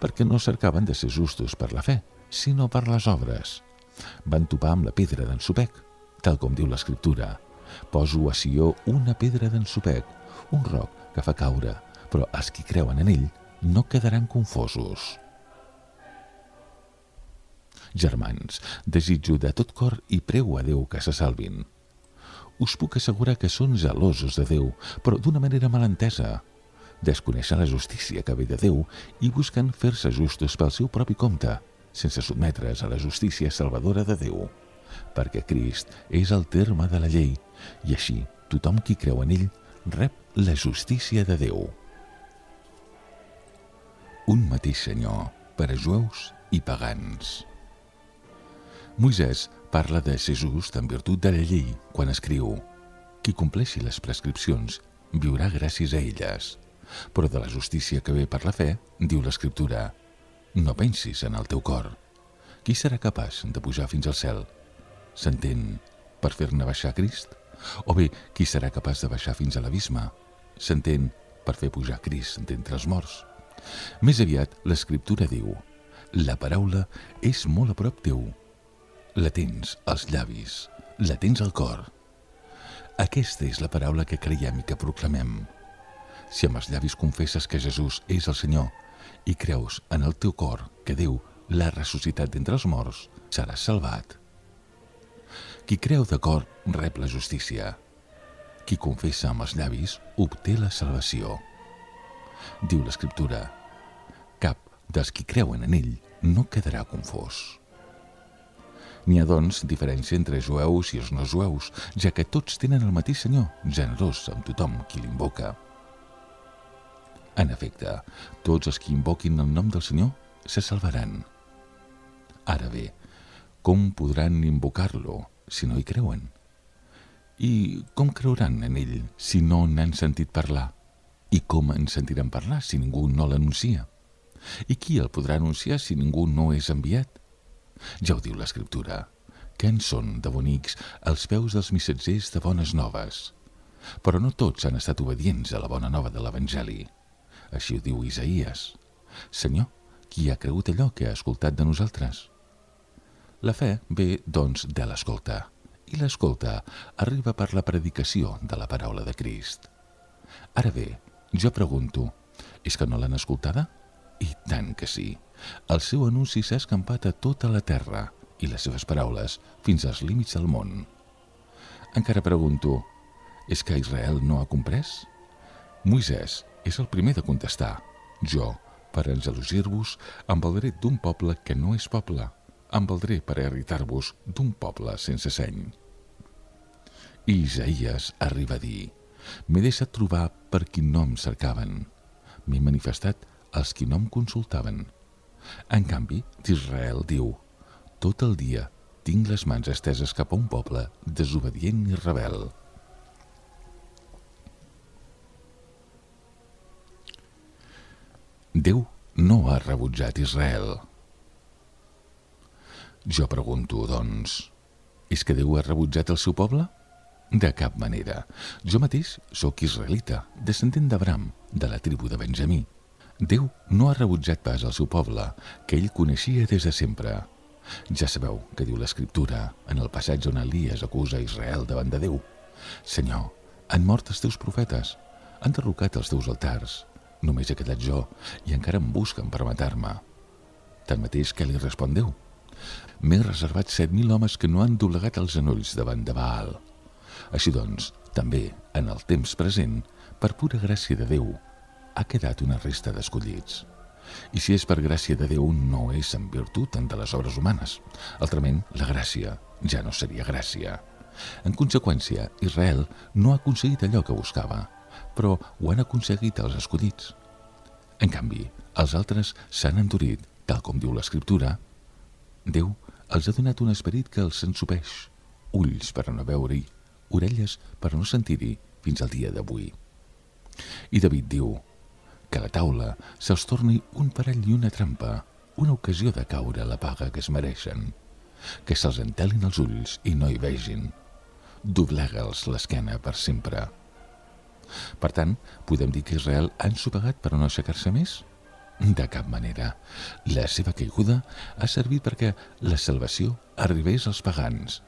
Perquè no cercaven de ser justos per la fe, sinó per les obres. Van topar amb la pedra d'ensopec, tal com diu l'Escriptura: poso a Sió una pedra d'ensopec, un roc que fa caure, però els qui creuen en ell no quedaran confosos. Germans, desitjo de tot cor i prego a Déu que se salvin. Us puc assegurar que són gelosos de Déu, però d'una manera malentesa. Desconeixen la justícia que ve de Déu i busquen fer-se justos pel seu propi compte, sense sotmetre's a la justícia salvadora de Déu, perquè Crist és el terme de la llei, i així tothom qui creu en ell rep la justícia de Déu. Un mateix Senyor per a jueus i pagans. Moisès parla de ser just en virtut de la llei quan escriu: qui compleixi les prescripcions viurà gràcies a elles. Però de la justícia que ve per la fe, diu l'Escriptura: no pensis en el teu cor. Qui serà capaç de pujar fins al cel? S'entén, per fer-ne baixar Crist? O bé, qui serà capaç de baixar fins a l'abisme? S'entén, per fer pujar Crist d'entre els morts? Més aviat, l'Escriptura diu: la paraula és molt a prop teu. La tens als llavis, la tens al cor. Aquesta és la paraula que creiem i que proclamem. Si amb els llavis confesses que Jesús és el Senyor i creus en el teu cor que Déu l'ha ressuscitat d'entre els morts, seràs salvat. Qui creu de cor rep la justícia. Qui confessa amb els llavis obté la salvació. Diu l'Escriptura: cap dels qui creuen en ell no quedarà confós. N'hi ha, doncs, diferència entre jueus i els no jueus, ja que tots tenen el mateix Senyor, generós amb tothom qui l'invoca. En efecte, tots els que invoquin el nom del Senyor se salvaran. Ara bé, com podran invocar-lo si no hi creuen? I com creuran en ell si no n'han sentit parlar? I com en sentiran parlar si ningú no l'anuncia? I qui el podrà anunciar si ningú no és enviat? Ja ho diu l'Escriptura, que en són de bonics els peus dels missatgers de bones noves. Però no tots han estat obedients a la bona nova de l'Evangeli. Així ho diu Isaïes: Senyor, qui ha cregut allò que ha escoltat de nosaltres? La fe ve, doncs, de l'escolta, i l'escolta arriba per la predicació de la paraula de Crist. Ara bé, jo pregunto, és que no l'han escoltada? I tant que sí. El seu anunci s'ha escampat a tota la terra i les seves paraules fins als límits del món. Encara pregunto, és que Israel no ha comprès? Moisès és el primer de contestar: jo, per engelosir-vos, em valdré d'un poble que no és poble, em valdré per irritar-vos d'un poble sense seny. I Isaïes arriba a dir: m'he deixat trobar per qui no em cercaven, m'he manifestat als qui no em consultaven. En canvi, d'Israel diu: tot el dia tinc les mans esteses cap a un poble desobedient i rebel. Déu no ha rebutjat Israel. Jo pregunto, doncs, és que Déu ha rebutjat el seu poble? De cap manera. Jo mateix sóc israelita, descendent d'Abraham, de la tribu de Benjamí. Déu no ha rebutjat pas el seu poble, que ell coneixia des de sempre. Ja sabeu que diu l'Escriptura, en el passatge on Elies acusa Israel davant de Déu: Senyor, han mort els teus profetes, han derrocat els teus altars, només he quedat jo i encara em busquen per matar-me. Tanmateix, què li respon Déu? M'he reservat set mil homes que no han doblegat els genolls davant de Baal. Així doncs, també, en el temps present, per pura gràcia de Déu, ha quedat una resta d'escollits. I si és per gràcia de Déu, no és en virtut de les obres humanes. Altrament, la gràcia ja no seria gràcia. En conseqüència, Israel no ha aconseguit allò que buscava, però ho han aconseguit els escollits. En canvi, els altres s'han endurit, tal com diu l'Escriptura. Déu els ha donat un esperit que els ensopeix, ulls per a no veure-hi, orelles per a no sentir-hi, fins al dia d'avui. I David diu: que a la taula se'ls torni un parell i una trampa, una ocasió de caure a la paga que es mereixen, que se'ls entelin els ulls i no hi vegin, doblega'ls l'esquena per sempre. Per tant, podem dir que Israel ha ensopegat per a no aixecar-se més? De cap manera. La seva caiguda ha servit perquè la salvació arribés als pagans,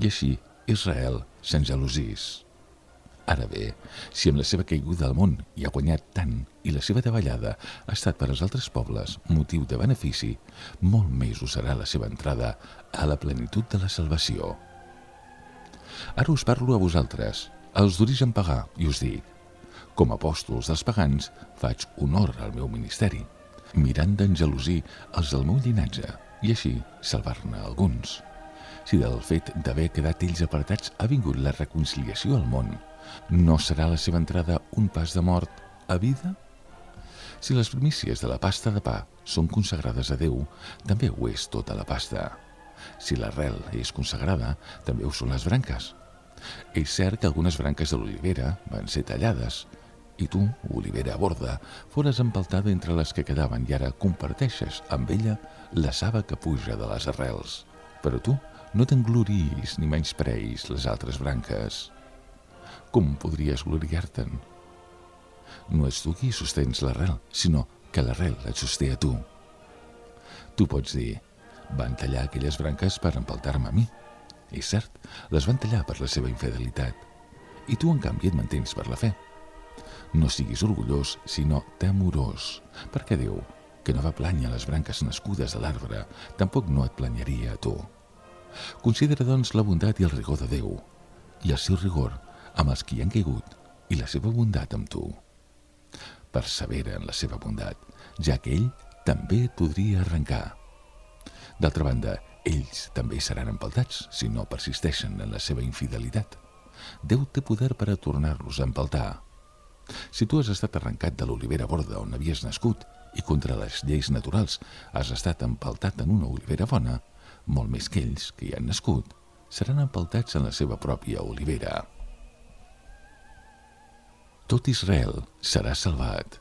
i així Israel s'engelosís. Ara bé, si amb la seva caiguda al món hi ha guanyat tant i la seva davallada ha estat per als altres pobles motiu de benefici, molt més ho serà la seva entrada a la plenitud de la salvació. Ara us parlo a vosaltres, els d'origen pagà, i us dic: com a apòstols dels pagans faig honor al meu ministeri, mirant d'engelosir els del meu llinatge i així salvar-ne alguns. Si del fet d'haver quedat ells apartats ha vingut la reconciliació al món, no serà la seva entrada un pas de mort a vida? Si les primícies de la pasta de pa són consagrades a Déu, també ho és tota la pasta. Si l'arrel és consagrada, també ho són les branques. És cert que algunes branques de l'olivera van ser tallades, i tu, olivera borda, fores empaltada entre les que quedaven i ara comparteixes amb ella la saba que puja de les arrels. Però tu no t'engloris ni menyspreis les altres branques. Com podries gloriar-te'n? No ets tu qui sostens l'arrel, sinó que l'arrel et sosté a tu. Tu pots dir, van tallar aquelles branques per empaltar-me a mi. És cert, les van tallar per la seva infidelitat. I tu, en canvi, et mantens per la fe. No siguis orgullós, sinó temorós, perquè Déu, que no va plànyer les branques nascudes de l'arbre, tampoc no et planyaria a tu. Considera, doncs, la bondat i el rigor de Déu, i el seu rigor amb els qui han caigut, i la seva bondat amb tu. Persevera en la seva bondat, ja que ell també et podria arrencar. D'altra banda, ells també seran empaltats si no persisteixen en la seva infidelitat. Déu té poder per a tornar-los a empaltar. Si tu has estat arrencat de l'olivera borda on havies nascut i contra les lleis naturals has estat empaltat en una olivera bona, molt més que ells que hi han nascut, seran empaltats en la seva pròpia olivera. Tot Israel serà salvat.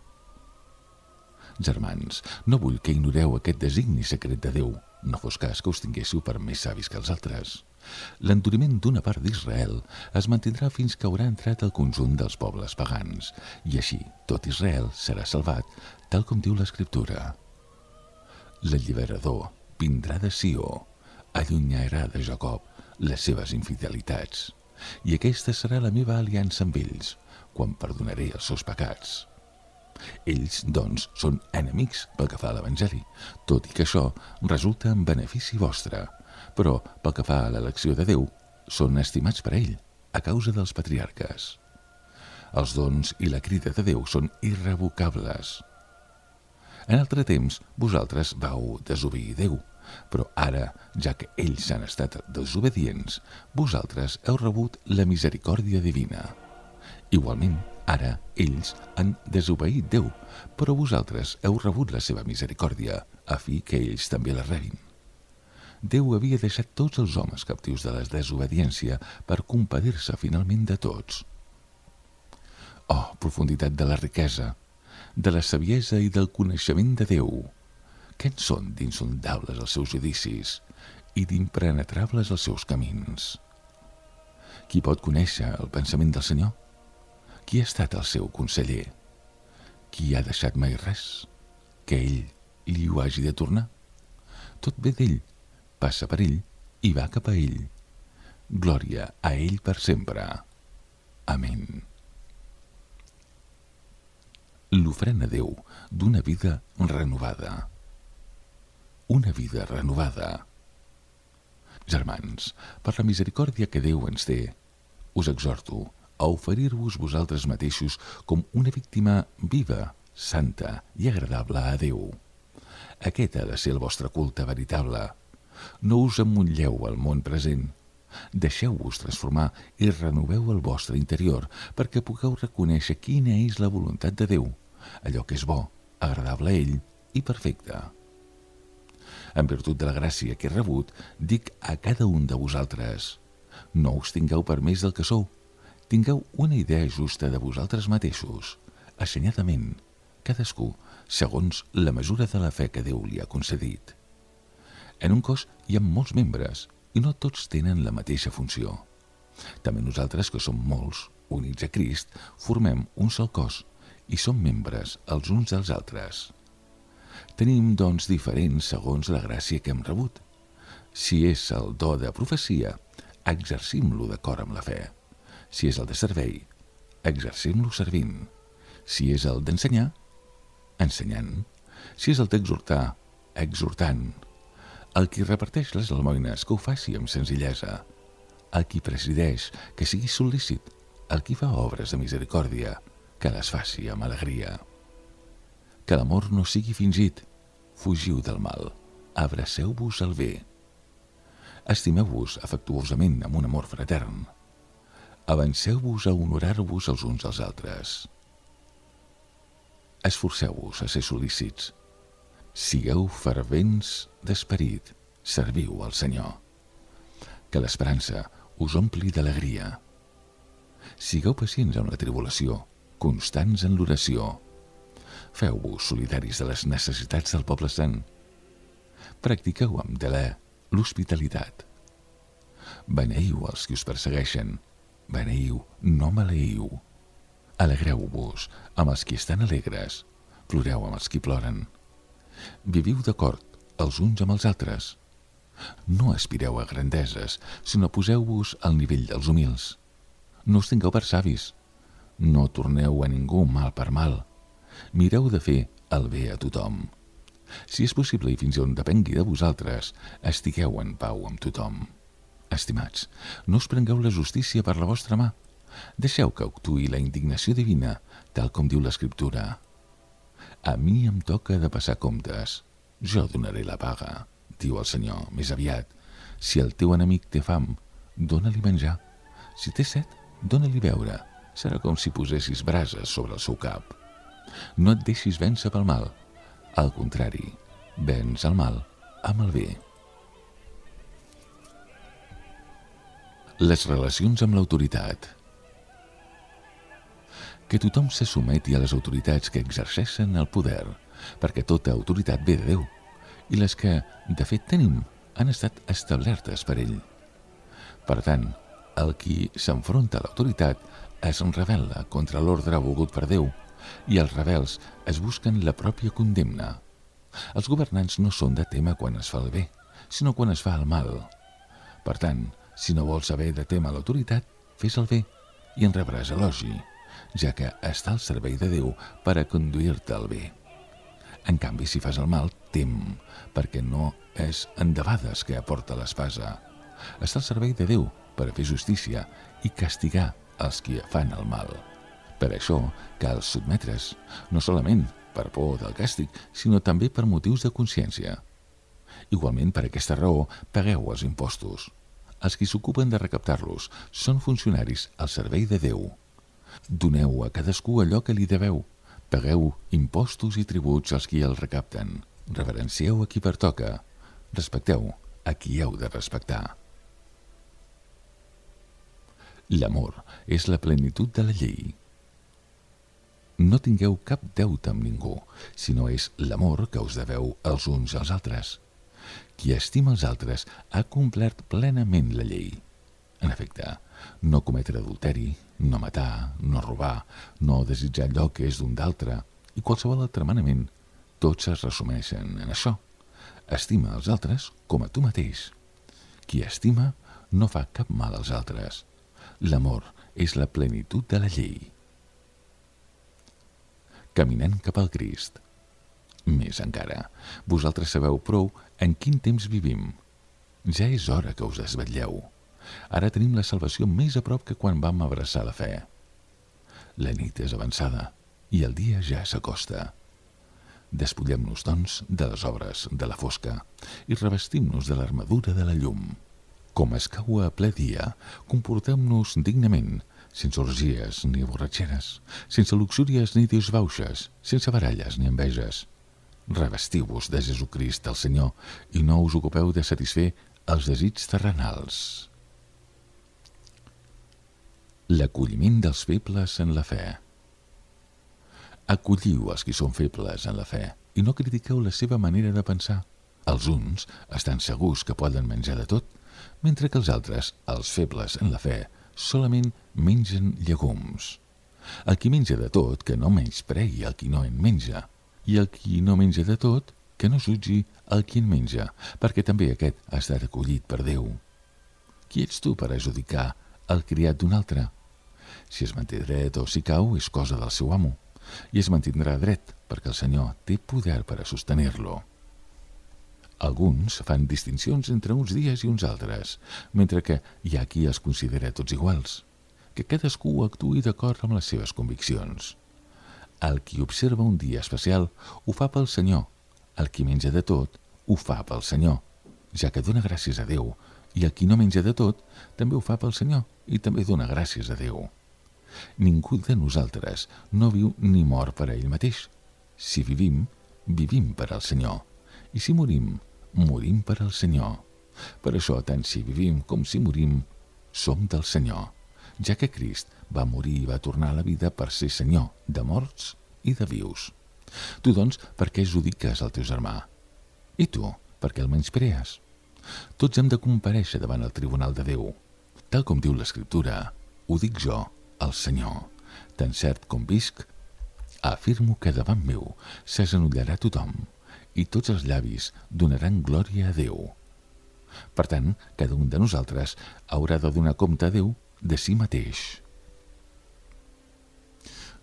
Germans, no vull que ignoreu aquest designi secret de Déu, no fos cas que us tinguéssiu per més savis que els altres. L'enduriment d'una part d'Israel es mantindrà fins que haurà entrat al conjunt dels pobles pagans, i així tot Israel serà salvat, tal com diu l'Escriptura. L'alliberador vindrà de Sió, allunyarà de Jacob les seves infidelitats, i aquesta serà la meva aliança amb ells, quan perdonaré els seus pecats. Ells, doncs, són enemics pel que fa a l'Evangeli, tot i que això resulta en benefici vostre, però pel que fa a l'elecció de Déu, són estimats per ell, a causa dels patriarques. Els dons i la crida de Déu són irrevocables. En altre temps, vosaltres vau desobeir Déu, però ara, ja que ells han estat desobedients, vosaltres heu rebut la misericòrdia divina. Igualment, ara ells han desobeït Déu, però vosaltres heu rebut la seva misericòrdia, a fi que ells també la rebin. Déu havia deixat tots els homes captius de la desobediència per compadir-se finalment de tots. Oh, profunditat de la riquesa, de la saviesa i del coneixement de Déu! Què en són d'insondables els seus judicis i d'impenetrables els seus camins? Qui pot conèixer el pensament del Senyor? Qui ha estat el seu conseller? Qui ha deixat mai res? Que ell li ho hagi de tornar? Tot ve d'ell, passa per ell i va cap a ell. Glòria a ell per sempre. Amén. L'ofrena a Déu d'una vida renovada. Una vida renovada. Germans, per la misericòrdia que Déu ens té, us exhorto a oferir-vos vosaltres mateixos com una víctima viva, santa i agradable a Déu. Aquest ha de ser el vostre culte veritable. No us emmotlleu al món present. Deixeu-vos transformar i renoveu el vostre interior perquè pugueu reconèixer quina és la voluntat de Déu, allò que és bo, agradable a ell i perfecte. En virtut de la gràcia que he rebut, dic a cada un de vosaltres: no us tingueu per més del que sou, tingueu una idea justa de vosaltres mateixos, assenyadament, cadascú segons la mesura de la fe que Déu li ha concedit. En un cos hi ha molts membres i no tots tenen la mateixa funció. També nosaltres, que som molts, units a Crist, formem un sol cos i som membres els uns dels altres. Tenim dons diferents segons la gràcia que hem rebut. Si és el do de profecia, exercim-lo d'acord amb la fe. Si és el de servei, exercim-lo servint. Si és el d'ensenyar, ensenyant. Si és el d'exhortar, exhortant. El qui reparteix les almoines, que ho faci amb senzillesa. El qui presideix, que sigui sol·lícit. El qui fa obres de misericòrdia, que les faci amb alegria. Que l'amor no sigui fingit. Fugiu del mal. Abraceu-vos al bé. Estimeu-vos afectuosament amb un amor fratern. Avanceu-vos a honorar-vos els uns als altres. Esforceu-vos a ser sol·lícits. Sigueu fervents d'esperit. Serviu al Senyor. Que l'esperança us ompli d'alegria. Sigueu pacients amb la tribulació constants en l'oració. Feu-vos solidaris de les necessitats del poble sant. Practiqueu amb delè l'hospitalitat. Beneiu els qui us persegueixen. Beneiu, no maleïu. Alegreu-vos amb els qui estan alegres. Ploreu amb els qui ploren. Viviu d'acord els uns amb els altres. No aspireu a grandeses, sinó poseu-vos al nivell dels humils. No us tingueu per savis. No torneu a ningú mal per mal. Mireu de fer el bé a tothom. Si és possible i fins on depengui de vosaltres, estigueu en pau amb tothom. Estimats, no us prengueu la justícia per la vostra mà. Deixeu que actuï la indignació divina, tal com diu l'Escriptura. A mi em toca de passar comptes. Jo donaré la paga, diu el Senyor, més aviat. Si el teu enemic té fam, dóna-li menjar. Si té set, dóna-li beure. Serà com si posessis brases sobre el seu cap. No et deixis vèncer pel mal. Al contrari, venç el mal amb el bé. Les relacions amb l'autoritat. Que tothom se sumeti a les autoritats que exerceixen el poder, perquè tota autoritat ve de Déu, i les que, de fet, tenim han estat establertes per ell. Per tant, el qui s'enfronta a l'autoritat es rebel·la contra l'ordre volgut per Déu, i els rebels es busquen la pròpia condemna. Els governants no són de tema quan es fa el bé, sinó quan es fa el mal. Per tant, si no vols haver de témer l'autoritat, fes el bé i en rebràs elogi, ja que està al servei de Déu per a conduir-te al bé. En canvi, si fas el mal, tem, perquè no és endebades que aporta l'espasa. Està al servei de Déu per a fer justícia i castigar els qui fan el mal. Per això cal sotmetre's, no solament per por del càstig, sinó també per motius de consciència. Igualment, per aquesta raó, pagueu els impostos. Els qui s'ocupen de recaptar-los són funcionaris al servei de Déu. Doneu a cadascú allò que li deveu. Pagueu impostos i tributs als qui els recapten. Reverencieu a qui pertoca. Respecteu a qui heu de respectar. L'amor és la plenitud de la llei. No tingueu cap deute amb ningú, sinó és l'amor que us deveu els uns als altres. Qui estima els altres ha complert plenament la llei. En efecte, no cometre adulteri, no matar, no robar, no desitjar allò que és d'un d'altre i qualsevol altre manament, tots es resumeixen en això. Estima els altres com a tu mateix. Qui estima no fa cap mal als altres. L'amor és la plenitud de la llei. Caminant cap al Crist. Més encara, vosaltres sabeu prou en quin temps vivim. Ja és hora que us desvetlleu. Ara tenim la salvació més a prop que quan vam abraçar la fe. La nit és avançada i el dia ja s'acosta. Despullem-nos, doncs, de les obres de la fosca i revestim-nos de l'armadura de la llum. Com escau a ple dia, comportem-nos dignament, sense orgies ni borratxeres, sense luxúries ni disbauxes, sense baralles ni enveges. Revestiu-vos de Jesucrist, el Senyor, i no us ocupeu de satisfer els desigs terrenals. L'acolliment dels febles en la fe. Acolliu els qui són febles en la fe i no critiqueu la seva manera de pensar. Els uns estan segurs que poden menjar de tot, mentre que els altres, els febles en la fe, solament mengen llegums. El qui menja de tot, que no menyspregui el qui no en menja, i el qui no menja de tot, que no jutgi el qui en menja, perquè també aquest ha estat acollit per Déu. Qui ets tu per adjudicar el criat d'un altre? Si es manté dret o si cau, és cosa del seu amo, i es mantindrà dret, perquè el Senyor té poder per a sostenir-lo. Alguns fan distincions entre uns dies i uns altres, mentre que hi ha qui els considera tots iguals. Que cadascú actuï d'acord amb les seves conviccions. El qui observa un dia especial ho fa pel Senyor. El qui menja de tot ho fa pel Senyor, ja que dona gràcies a Déu, i el qui no menja de tot també ho fa pel Senyor i també dona gràcies a Déu. Ningú de nosaltres no viu ni mor per a ell mateix. Si vivim, vivim per al Senyor, i si morim, morim per al Senyor. Per això, tant si vivim com si morim, som del Senyor. ja que Crist va morir i va tornar a la vida per ser Senyor de morts i de vius. Tu, doncs, per què judiques el teu germà? I tu, per què el menysprees? Tots hem de comparèixer davant el tribunal de Déu. Tal com diu l'Escriptura, ho dic jo, el Senyor, tan cert com visc, afirmo que davant meu s'agenollarà tothom i tots els llavis donaran glòria a Déu. Per tant, cada un de nosaltres haurà de donar compte a Déu de si mateix.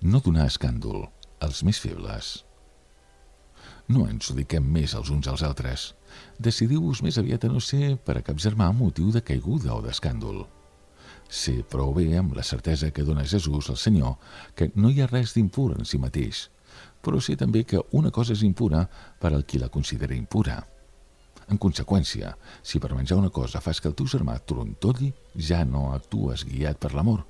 No donar escàndol als més febles. No ens ho diquem més els uns als altres. Decidiu-vos més aviat a no ser per a cap germà motiu de caiguda o d'escàndol. Sé prou bé amb la certesa que dona Jesús al Senyor que no hi ha res d'impur en si mateix, però sé també que una cosa és impura per al qui la considera impura. En conseqüència, si per menjar una cosa fas que el teu germà trontolli, ja no actues guiat per l'amor.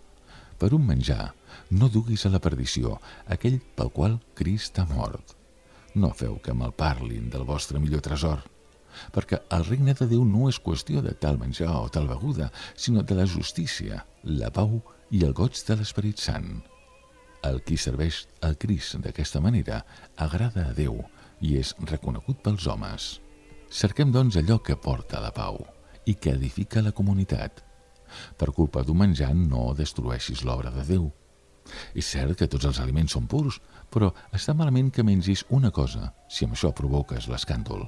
Per un menjar, no duguis a la perdició aquell pel qual Crist ha mort. No feu que malparlin del vostre millor tresor, perquè el regne de Déu no és qüestió de tal menjar o tal beguda, sinó de la justícia, la pau i el goig de l'Esperit Sant. El qui serveix al Crist d'aquesta manera agrada a Déu i és reconegut pels homes. Cerquem, doncs, allò que porta a la pau i que edifica la comunitat. Per culpa d'un menjar no destrueixis l'obra de Déu. És cert que tots els aliments són purs, però està malament que mengis una cosa si amb això provoques l'escàndol.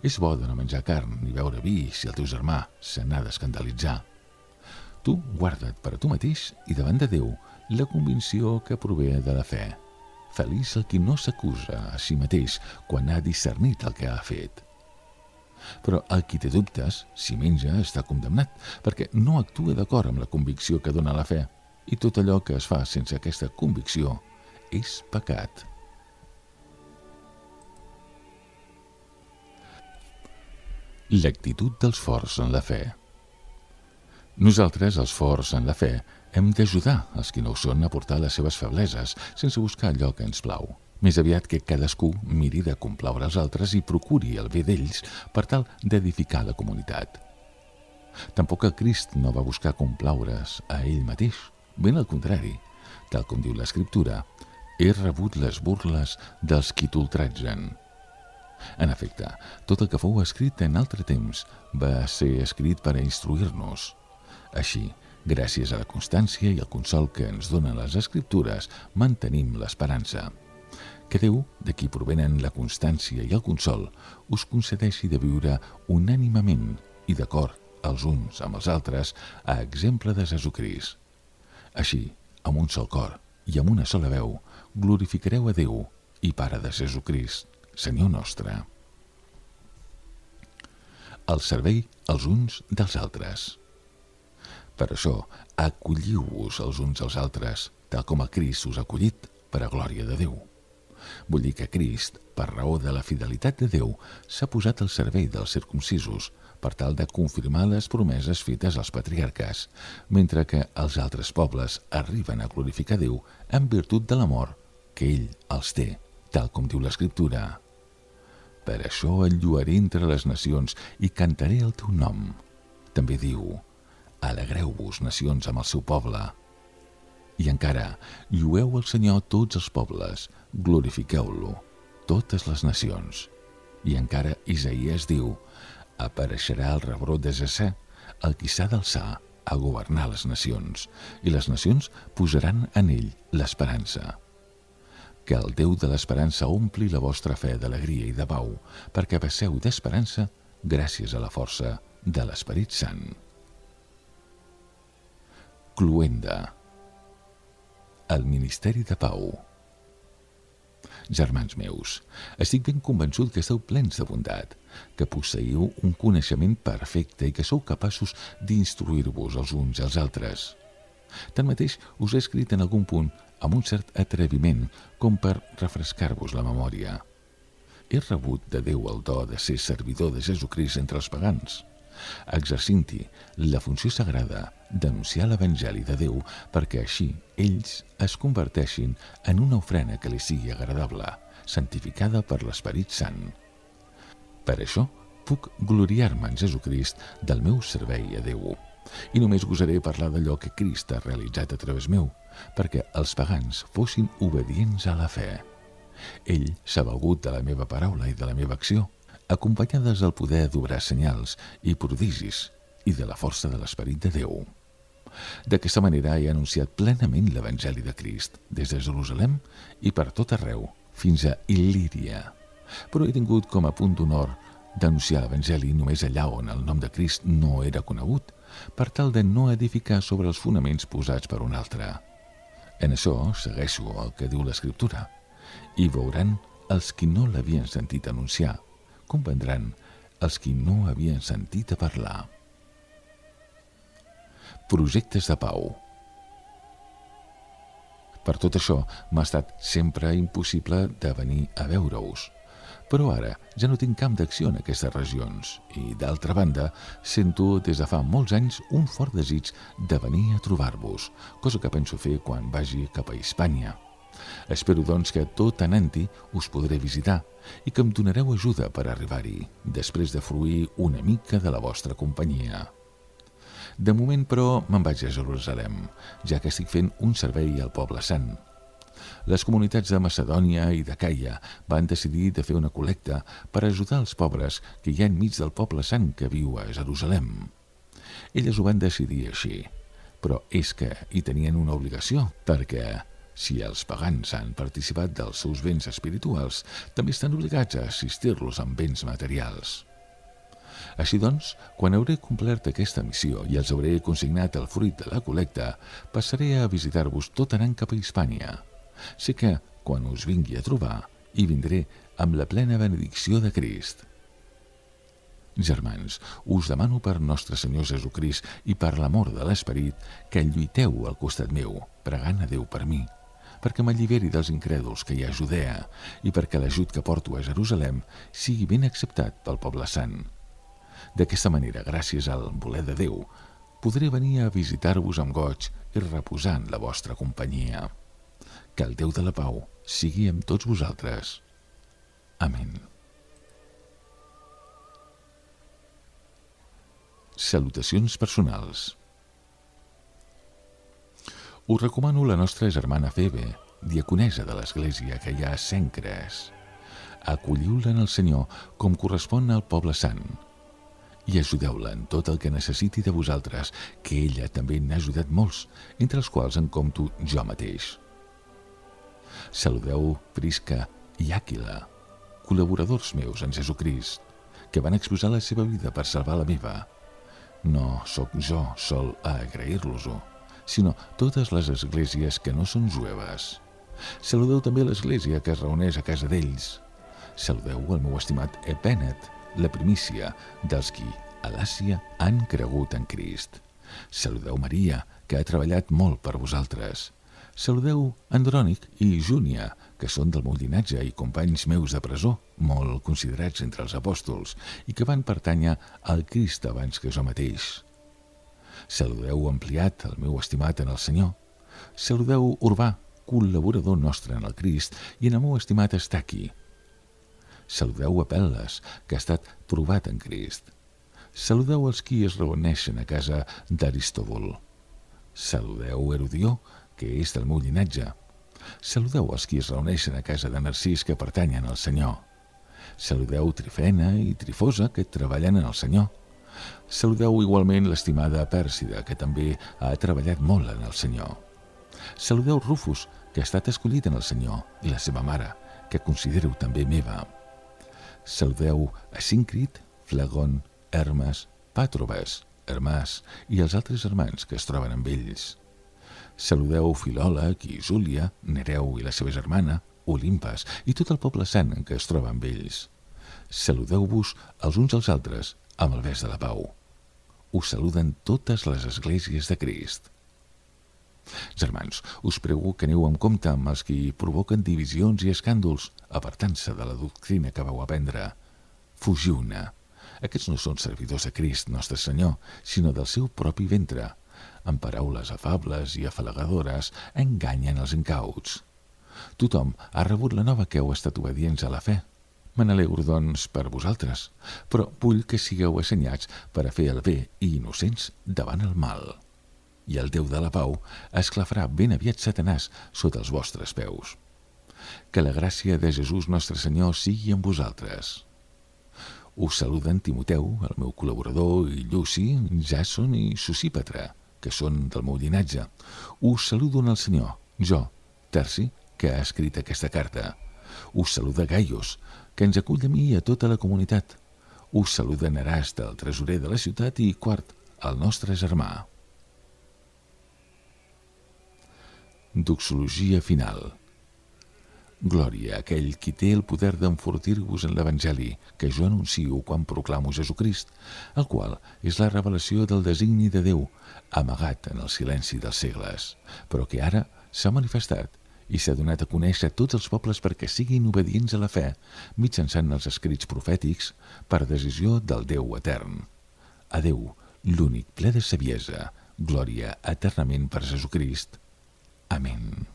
És bo de no menjar carn ni beure vi si el teu germà se n'ha d'escandalitzar. Tu guarda't per a tu mateix i davant de Déu la convicció que prové de la fe. Feliç el qui no s'acusa a si mateix quan ha discernit el que ha fet. Però el qui té dubtes, si menja, està condemnat, perquè no actua d'acord amb la convicció que dona la fe, i tot allò que es fa sense aquesta convicció és pecat. L'actitud dels forts en la fe. Nosaltres, els forts en la fe, hem d'ajudar els qui no ho són a portar les seves febleses, sense buscar allò que ens plau. Més aviat que cadascú miri de complaure els altres i procuri el bé d'ells per tal d'edificar la comunitat. Tampoc el Crist no va buscar complaure's a ell mateix, ben al contrari, tal com diu l'Escriptura, he rebut les burles dels qui t'ultratgen. En efecte, tot el que fou escrit en altre temps va ser escrit per a instruir-nos. Així, gràcies a la constància i al consol que ens donen les Escriptures, mantenim l'esperança. Que Déu, de qui provenen la constància i el consol, us concedeixi de viure unànimament i d'acord els uns amb els altres a exemple de Jesucrist. Així, amb un sol cor i amb una sola veu, glorificareu a Déu i Pare de Jesucrist, Senyor nostre. El servei els uns dels altres. Per això, acolliu-vos els uns als altres, tal com el Crist us ha acollit per a glòria de Déu. Vull dir que Crist, per raó de la fidelitat de Déu, s'ha posat al servei dels circumcisos per tal de confirmar les promeses fetes als patriarques, mentre que els altres pobles arriben a glorificar Déu en virtut de l'amor que ell els té, tal com diu l'Escriptura. Per això el lluaré entre les nacions i cantaré el teu nom. També diu, alegreu-vos, nacions, amb el seu poble. I encara, llueu el Senyor tots els pobles, glorifiqueu-lo, totes les nacions. I encara Isaïes diu, apareixerà el rebrot de Jessé, el qui s'ha d'alçar a governar les nacions, i les nacions posaran en ell l'esperança. Que el Déu de l'esperança ompli la vostra fe d'alegria i de pau, perquè passeu d'esperança gràcies a la força de l'Esperit Sant. Cloenda. El Ministeri de Pau. Germans meus, estic ben convençut que esteu plens de bondat, que posseieu un coneixement perfecte i que sou capaços d'instruir-vos els uns als altres. Tanmateix, us he escrit en algun punt amb un cert atreviment com per refrescar-vos la memòria. He rebut de Déu el do de ser servidor de Jesucrist entre els pagans, exercint-hi la funció sagrada d'anunciar l'Evangeli de Déu perquè així ells es converteixin en una ofrena que li sigui agradable, santificada per l'Esperit Sant. Per això puc gloriar-me en Jesucrist del meu servei a Déu. I només gosaré parlar d'allò que Crist ha realitzat a través meu, perquè els pagans fossin obedients a la fe. Ell s'ha valgut de la meva paraula i de la meva acció, acompanyades del poder d'obrar senyals i prodigis i de la força de l'Esperit de Déu. D'aquesta manera he anunciat plenament l'Evangeli de Crist, des de Jerusalem i per tot arreu, fins a Il·líria. Però he tingut com a punt d'honor d'anunciar l'Evangeli només allà on el nom de Crist no era conegut, per tal de no edificar sobre els fonaments posats per un altre. En això segueixo el que diu l'Escriptura, i veuran els qui no l'havien sentit anunciar, comprendran els qui no havien sentit a parlar. Projectes de pau. Per tot això m'ha estat sempre impossible de venir a veure-us, però ara ja no tinc camp d'acció en aquestes regions i, d'altra banda, sento des de fa molts anys un fort desig de venir a trobar-vos, cosa que penso fer quan vagi cap a Hispània. Espero, doncs, que tot anant-hi us podré visitar i que em donareu ajuda per arribar-hi, després de fruir una mica de la vostra companyia. De moment, però, me'n vaig a Jerusalem, ja que estic fent un servei al Poble Sant. Les comunitats de Macedònia i de Caia van decidir de fer una col·lecta per ajudar els pobres que hi ha enmig del Poble Sant que viu a Jerusalem. Elles ho van decidir així, però és que hi tenien una obligació, perquè si els pagans han participat dels seus béns espirituals, també estan obligats a assistir-los amb béns materials. Així doncs, quan hauré complert aquesta missió i els hauré consignat el fruit de la col·lecta, passaré a visitar-vos tot anant cap a Hispània. Sé que, quan us vingui a trobar, hi vindré amb la plena benedicció de Crist. Germans, us demano per nostre Senyor Jesucrist i per l'amor de l'Esperit que lluiteu al costat meu, pregant a Déu per mi, perquè m'alliberi dels incrèduls que hi ha a Judea i perquè l'ajut que porto a Jerusalem sigui ben acceptat pel Poble Sant. D'aquesta manera, gràcies al voler de Déu, podré venir a visitar-vos amb goig i reposar en la vostra companyia. Que el Déu de la pau sigui amb tots vosaltres. Amén. Salutacions personals. Us recomano la nostra germana Febe, diaconessa de l'església que hi ha a Cencres. Acolliu-la en el Senyor com correspon al Poble Sant i ajudeu-la en tot el que necessiti de vosaltres, que ella també n'ha ajudat molts, entre els quals en compto jo mateix. Saludeu Prisca i Àquila, col·laboradors meus en Jesucrist, que van exposar la seva vida per salvar la meva. No sóc jo sol a agrair-los-ho, sinó totes les esglésies que no són jueves. Saludeu també l'església que es reuneix a casa d'ells. Saludeu el meu estimat Epènet, la primícia dels qui a l'Àsia han cregut en Crist. Saludeu Maria, que ha treballat molt per vosaltres. Saludeu Andrònic i Júnia, que són del meu llinatge i companys meus de presó, molt considerats entre els apòstols, i que van pertànyer al Crist abans que jo mateix. Saludeu Ampliat, el meu estimat en el Senyor. Saludeu Urbà, col·laborador nostre en el Crist, i en el meu estimat Estaqui. Saludeu Apel·les, que ha estat provat en Crist. Saludeu els qui es reuneixen a casa d'Aristòbul. Saludeu Herodió, que és del meu llinatge. Saludeu els qui es reuneixen a casa de Narcís, que pertanyen al Senyor. Saludeu Trifena i Trifosa, que treballen en el Senyor. Saludeu igualment l'estimada Pèrsida, que també ha treballat molt en el Senyor. Saludeu Rufus, que ha estat escollit en el Senyor, i la seva mare, que considero també meva. Saludeu Asíncrit, Flagon, Hermes, Pàtrobes, Hermàs i els altres germans que es troben amb ells. Saludeu Filòleg i Júlia, Nereu i la seva germana, Olimpas i tot el poble sant en què es troba amb ells. Saludeu-vos els uns als altres amb el bes de la pau. Us saluden totes les esglésies de Crist. Germans, us prego que aneu amb compte amb els que provoquen divisions i escàndols, apartant-se de la doctrina que vau aprendre. Fugiu-ne. Aquests no són servidors de Crist, nostre Senyor, sinó del seu propi ventre. Amb paraules afables i afalagadores enganyen els incauts. Tothom ha rebut la nova que heu estat obedients a la fe. Me n'alegro, doncs, per vosaltres, però vull que sigueu assenyats per a fer el bé i innocents davant el mal. I el Déu de la pau esclafarà ben aviat Satanàs sota els vostres peus. Que la gràcia de Jesús nostre Senyor sigui amb vosaltres. Us saluden Timoteu, el meu col·laborador, i Lluci, Jàson i Sosípatre, que són del meu llinatge. Us saludo en el Senyor, jo, Terci, que ha escrit aquesta carta. Us saluda Gaius, que ens acull a mi i a tota la comunitat. Us saluda Nerast, el tresorer de la ciutat, i Quart, el nostre germà. Doxologia final. Glòria a aquell qui té el poder d'enfortir-vos en l'Evangeli que jo anuncio quan proclamo Jesucrist, el qual és la revelació del designi de Déu, amagat en el silenci dels segles, però que ara s'ha manifestat i s'ha donat a conèixer a tots els pobles perquè siguin obedients a la fe mitjançant els escrits profètics per decisió del Déu etern. A Déu, l'únic ple de saviesa, glòria eternament per Jesucrist. Amén.